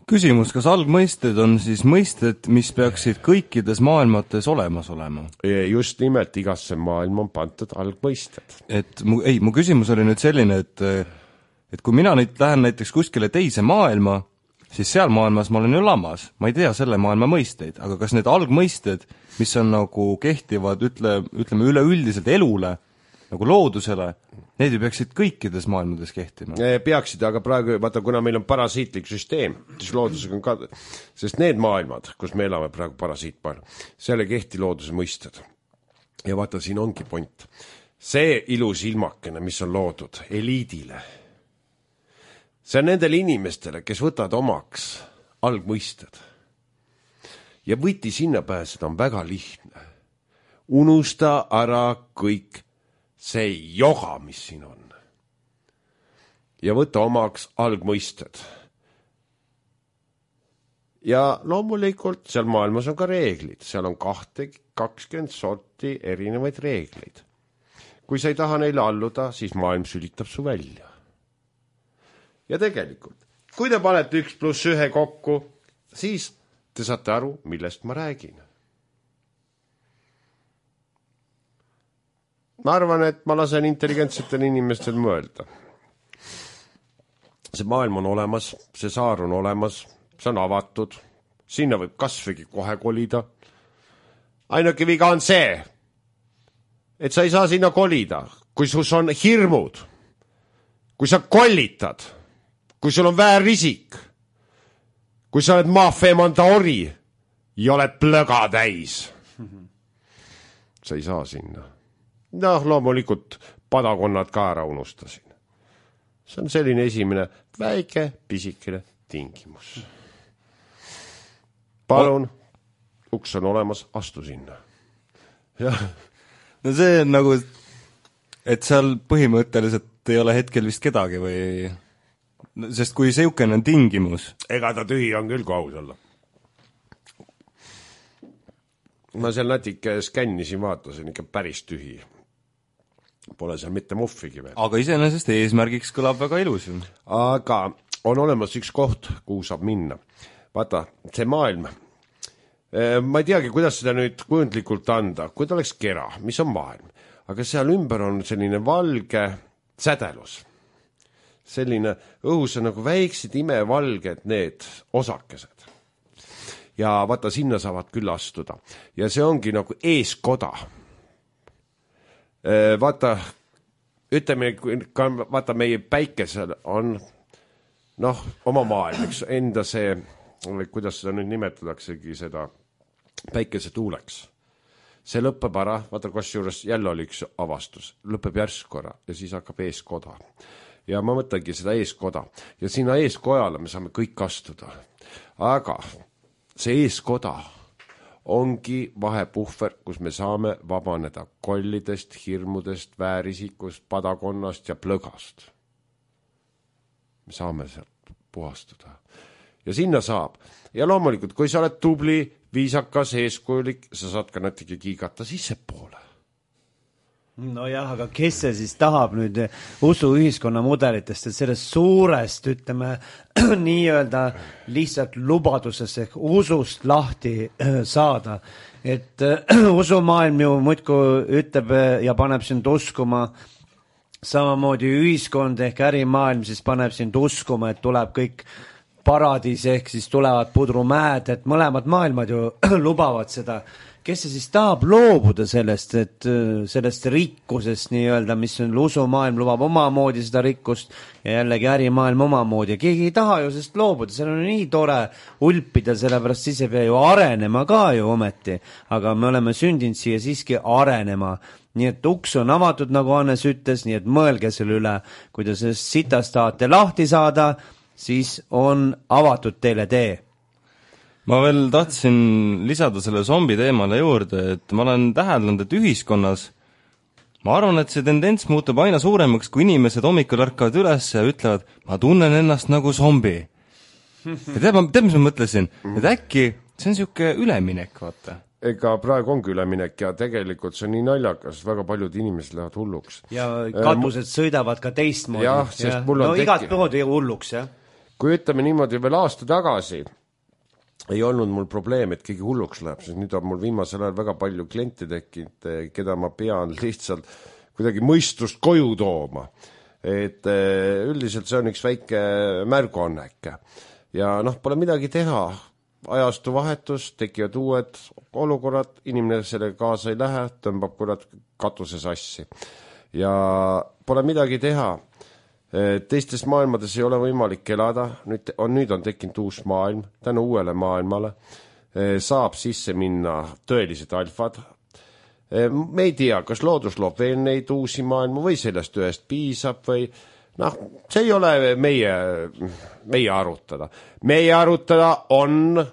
Küsimus, kas algmõisted on siis mõisted, mis peaksid kõikides maailmates olemas olema? Just nimelt, igasse maailma on pandud algmõisted. Mu küsimus oli nüüd selline, et kui mina nüüd lähen näiteks kuskile teise maailma, siis seal maailmas ma olen ju lamas, ma ei tea selle maailma mõisteid, aga kas need algmõisted, mis on nagu kehtivad, ütleme üleüldiselt elule, nagu loodusele, need ju peaksid kõikides maailmades kehtima. Peaksid, aga praegu, vaata, kuna meil on parasiitlik süsteem, siis loodusega on ka, sest need maailmad, kus me elame praegu parasiitmaailm, seal ei kehti looduse mõisted. Ja vaata, siin ongi point. See ilus ilmakene, mis on loodud eliidile, see on nendele inimestele, kes võtavad omaks algmõisted. Ja võti sinna pääseda on väga lihtne. Unusta ära kõik see joga, mis siin on. Ja võta omaks algmõisted. Ja loomulikult seal maailmas on ka reeglid. Seal on 20 sorti erinevaid reegleid. Kui sa ei taha neile alluda, siis maailm sülitab su välja. Ja tegelikult, kui te panete 1+1 kokku, siis te saate aru, millest ma räägin. Ma arvan, et ma lasen intelligentsetel inimestel mõelda. See maailm on olemas, see saar on olemas, see on avatud, sinna võib kasvõi kohe kolida. Ainuke viga on see, et sa ei saa sinna kolida, kui sus on hirmud, kui sa kollitad, kui sul on väärrisik, kui sa oled maafeemanda ori ja oled plöga täis. Sa ei saa sinna. Loomulikult padakonnad ka ära unustasin. See on selline esimene väike pisikene tingimus. Palun, uks on olemas, astu sinna. Jah. No see on nagu, et seal põhimõtteliselt ei ole hetkel vist kedagi või... Sest kui seukene on tingimus... Ega ta tühi on küll, kui aus olla. Ma seal natuke skännisin, vaatasin ikka päris tühi. Pole seal mitte muffigi veel. Aga iseenesest eesmärgiks kõlab väga ilus. Aga on olemas üks koht, kuhu saab minna. Vaata, see maailm. Ma ei teagi, kuidas seda nüüd kujundlikult anda, kui ta oleks kera, mis on maailm. Aga seal ümber on selline valge sädelus. Selline õhus on nagu väiksed imevalged need osakesed. Ja vaata, sinna saavad küll astuda. Ja see ongi nagu eeskoda. Vaata, ütleme, vaata meie päikesel on oma maailm, eks enda see, kuidas seda nüüd nimetadaksegi seda päikese tuuleks. See lõppeb ära, vaata, kus juures jälle oli üks avastus, lõppeb järskora ja siis hakkab eeskoda. Ja ma mõtlengi seda eeskoda ja sinna eeskojale me saame kõik astuda. Aga see eeskoda ongi vahepuhver, kus me saame vabaneda kollidest, hirmudest, väärisikust, padakonnast ja plõgast. Me saame sealt puhastuda. Ja sinna saab. Ja loomulikult, kui sa oled tubli, viisakas, eeskujulik, sa saad ka natuke kiigata sissepoole. No jah, aga kes see siis tahab nüüd usuühiskonna mudelitest, et sellest suurest, ütleme, nii-öelda lihtsalt lubadusest ehk usust lahti saada. Et usumaailm ju muidku ütleb ja paneb sind uskuma, samamoodi ühiskond ehk ärimaailm siis paneb sind uskuma, et tuleb kõik paradiis ehk siis tulevad pudrumäed, et mõlemad maailmad ju lubavad seda. Kes see siis tahab loobuda sellest, et sellest rikkusest nii-öelda, mis on usumaailm lubab omamoodi seda rikkust ja jällegi ärimaailm omamoodi ja keegi ei taha ju sellest loobuda, seal on nii tore ulpida, sellepärast siis ei pea ju arenema ka ju ometi, aga me oleme sündinud siia siiski arenema, nii et uks on avatud, nagu Hannes ütles, nii et mõelge selle üle, kui te sellest sitast tahate lahti saada, siis on avatud teile tee. Ma veel tahtsin lisada selle zombi teemale juurde, et ma olen täheldanud, et ühiskonnas ma arvan, et see tendents muutub aina suuremaks, kui inimesed hommikul ärkavad üles ja ütlevad, ma tunnen ennast nagu zombi. Ja tead, mis ma mõtlesin? Et äkki see on siuke üleminek, vaata. Ega praegu ongi üleminek ja tegelikult see on nii naljakas, väga paljud inimesed lähevad hulluks. Ja katused sõidavad ka teistmoodi. Jah, sest mul on igat poodi hulluks, jah. Kui ütleme niimoodi veel aasta tagasi, ei olnud mul probleem, et keegi hulluks läheb, sest nüüd on mul viimasel ajal väga palju kliente tekkinud, keda ma pean lihtsalt kuidagi mõistust koju tooma. Et üldiselt see on üks väike märguannek. Ja pole midagi teha. Ajastu vahetus, tekivad uued olukorrad, inimene selle kaasa ei lähe, tõmbab kurat katuse sassi. Ja pole midagi teha. Teistes maailmades ei ole võimalik elada, nüüd on tekkinud uus maailm, tänu uuele maailmale saab sisse minna tõelised alfad. Me ei tea, kas loodus loob veel neid uusi maailma või sellest ühest piisab või see ei ole meie arutada. Meie arutada on,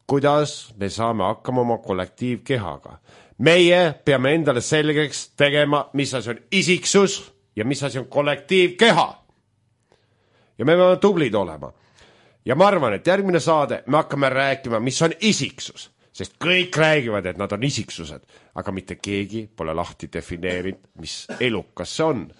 kuidas me saame hakkama oma kollektiivkehaga. Meie peame endale selgeks tegema, mis asi on isiksus ja mis asi on kollektiivkeha. Ja me peame tublid olema. Ja ma arvan, et järgmine saade me hakkame rääkima, mis on isiksus. Sest kõik räägivad, et nad on isiksused, aga mitte keegi pole lahti defineerinud, mis elukas see on.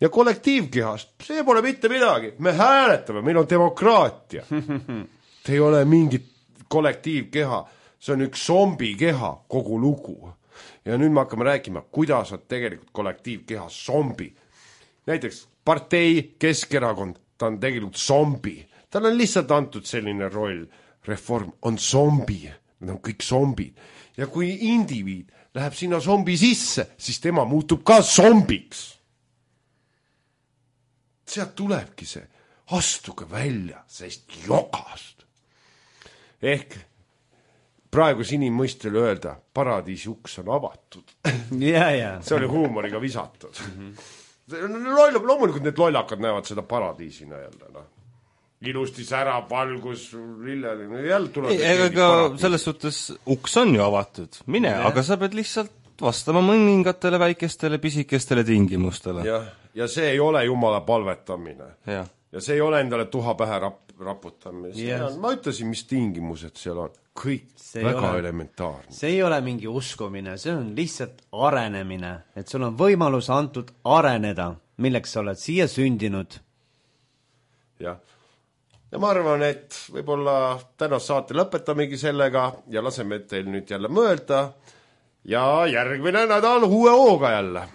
Ja kollektiivkehast, see pole mitte midagi. Me hääletame, meil on demokraatia. See ei ole mingit kollektiivkeha, see on üks zombikeha kogu lugu. Ja nüüd me hakkame rääkima, kuidas on tegelikult kollektiivkeha zombi. Näiteks partei Keskerakond, ta on tegelikult zombi. Tal on lihtsalt antud selline roll. Reform on zombi. Need on kõik zombid. Ja kui indiviid läheb sinna zombi sisse, siis tema muutub ka zombiks. Sealt tulebki see. Astuge välja sellest jogast. Ehk praegu inimmõistel öelda, paradiisi uks on avatud. See oli huumoriga visatud. Loomulikult need lollakad näevad seda paradiisina jälle. Ilusti särab, valgus, lilleline, jälle tuleb. Ega selles suhtes uks on ju avatud. Mine, aga sa pead lihtsalt vastama mõningatele väikestele pisikestele tingimustele. Ja see ei ole jumala palvetamine. Ja see ei ole endale tuha pähe raputamine. Ma ütlesin, mis tingimused seal on. Kõik väga elementaarne. See ei ole mingi uskumine, see on lihtsalt arenemine, et sul on võimalus antud areneda, milleks sa oled siia sündinud. Ja ma arvan, et võib-olla tänast saate lõpetamegi sellega ja laseme teil nüüd jälle mõelda ja järgmine nädal uue hooga jälle.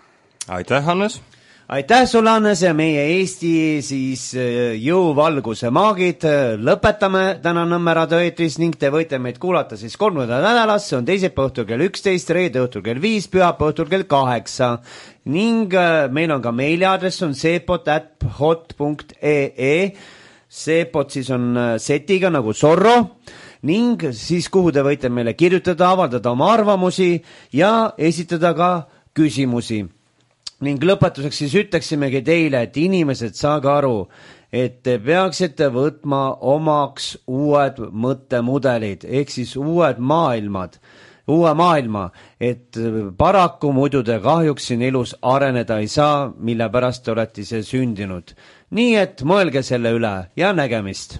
Aitäh, Hannes! Aitäh sulle, Hannes, ja meie Eesti siis jõuvalguse maagid lõpetame täna Nõmme raadioeetris ning te võite meid kuulata siis 3. nädalas, see on teisipäeva õhtul kell 11, reede õhtul kell 5, pühapäeva õhtul kell 8 ning meil on ka meiliaadress on sepot@hot.ee, sepot siis on setiga nagu Zorro ning siis kuhu te võite meile kirjutada, avaldada oma arvamusi ja esitada ka küsimusi. Ning lõpetuseks siis ütleksimegi teile, et inimesed, saage aru, et te peaksite võtma omaks uued mõttemudelid ehk siis uue maailma, et paraku muidu te kahjuks siin elus areneda ei saa, mille pärast te olete ise sündinud. Nii et mõelge selle üle ja nägemist!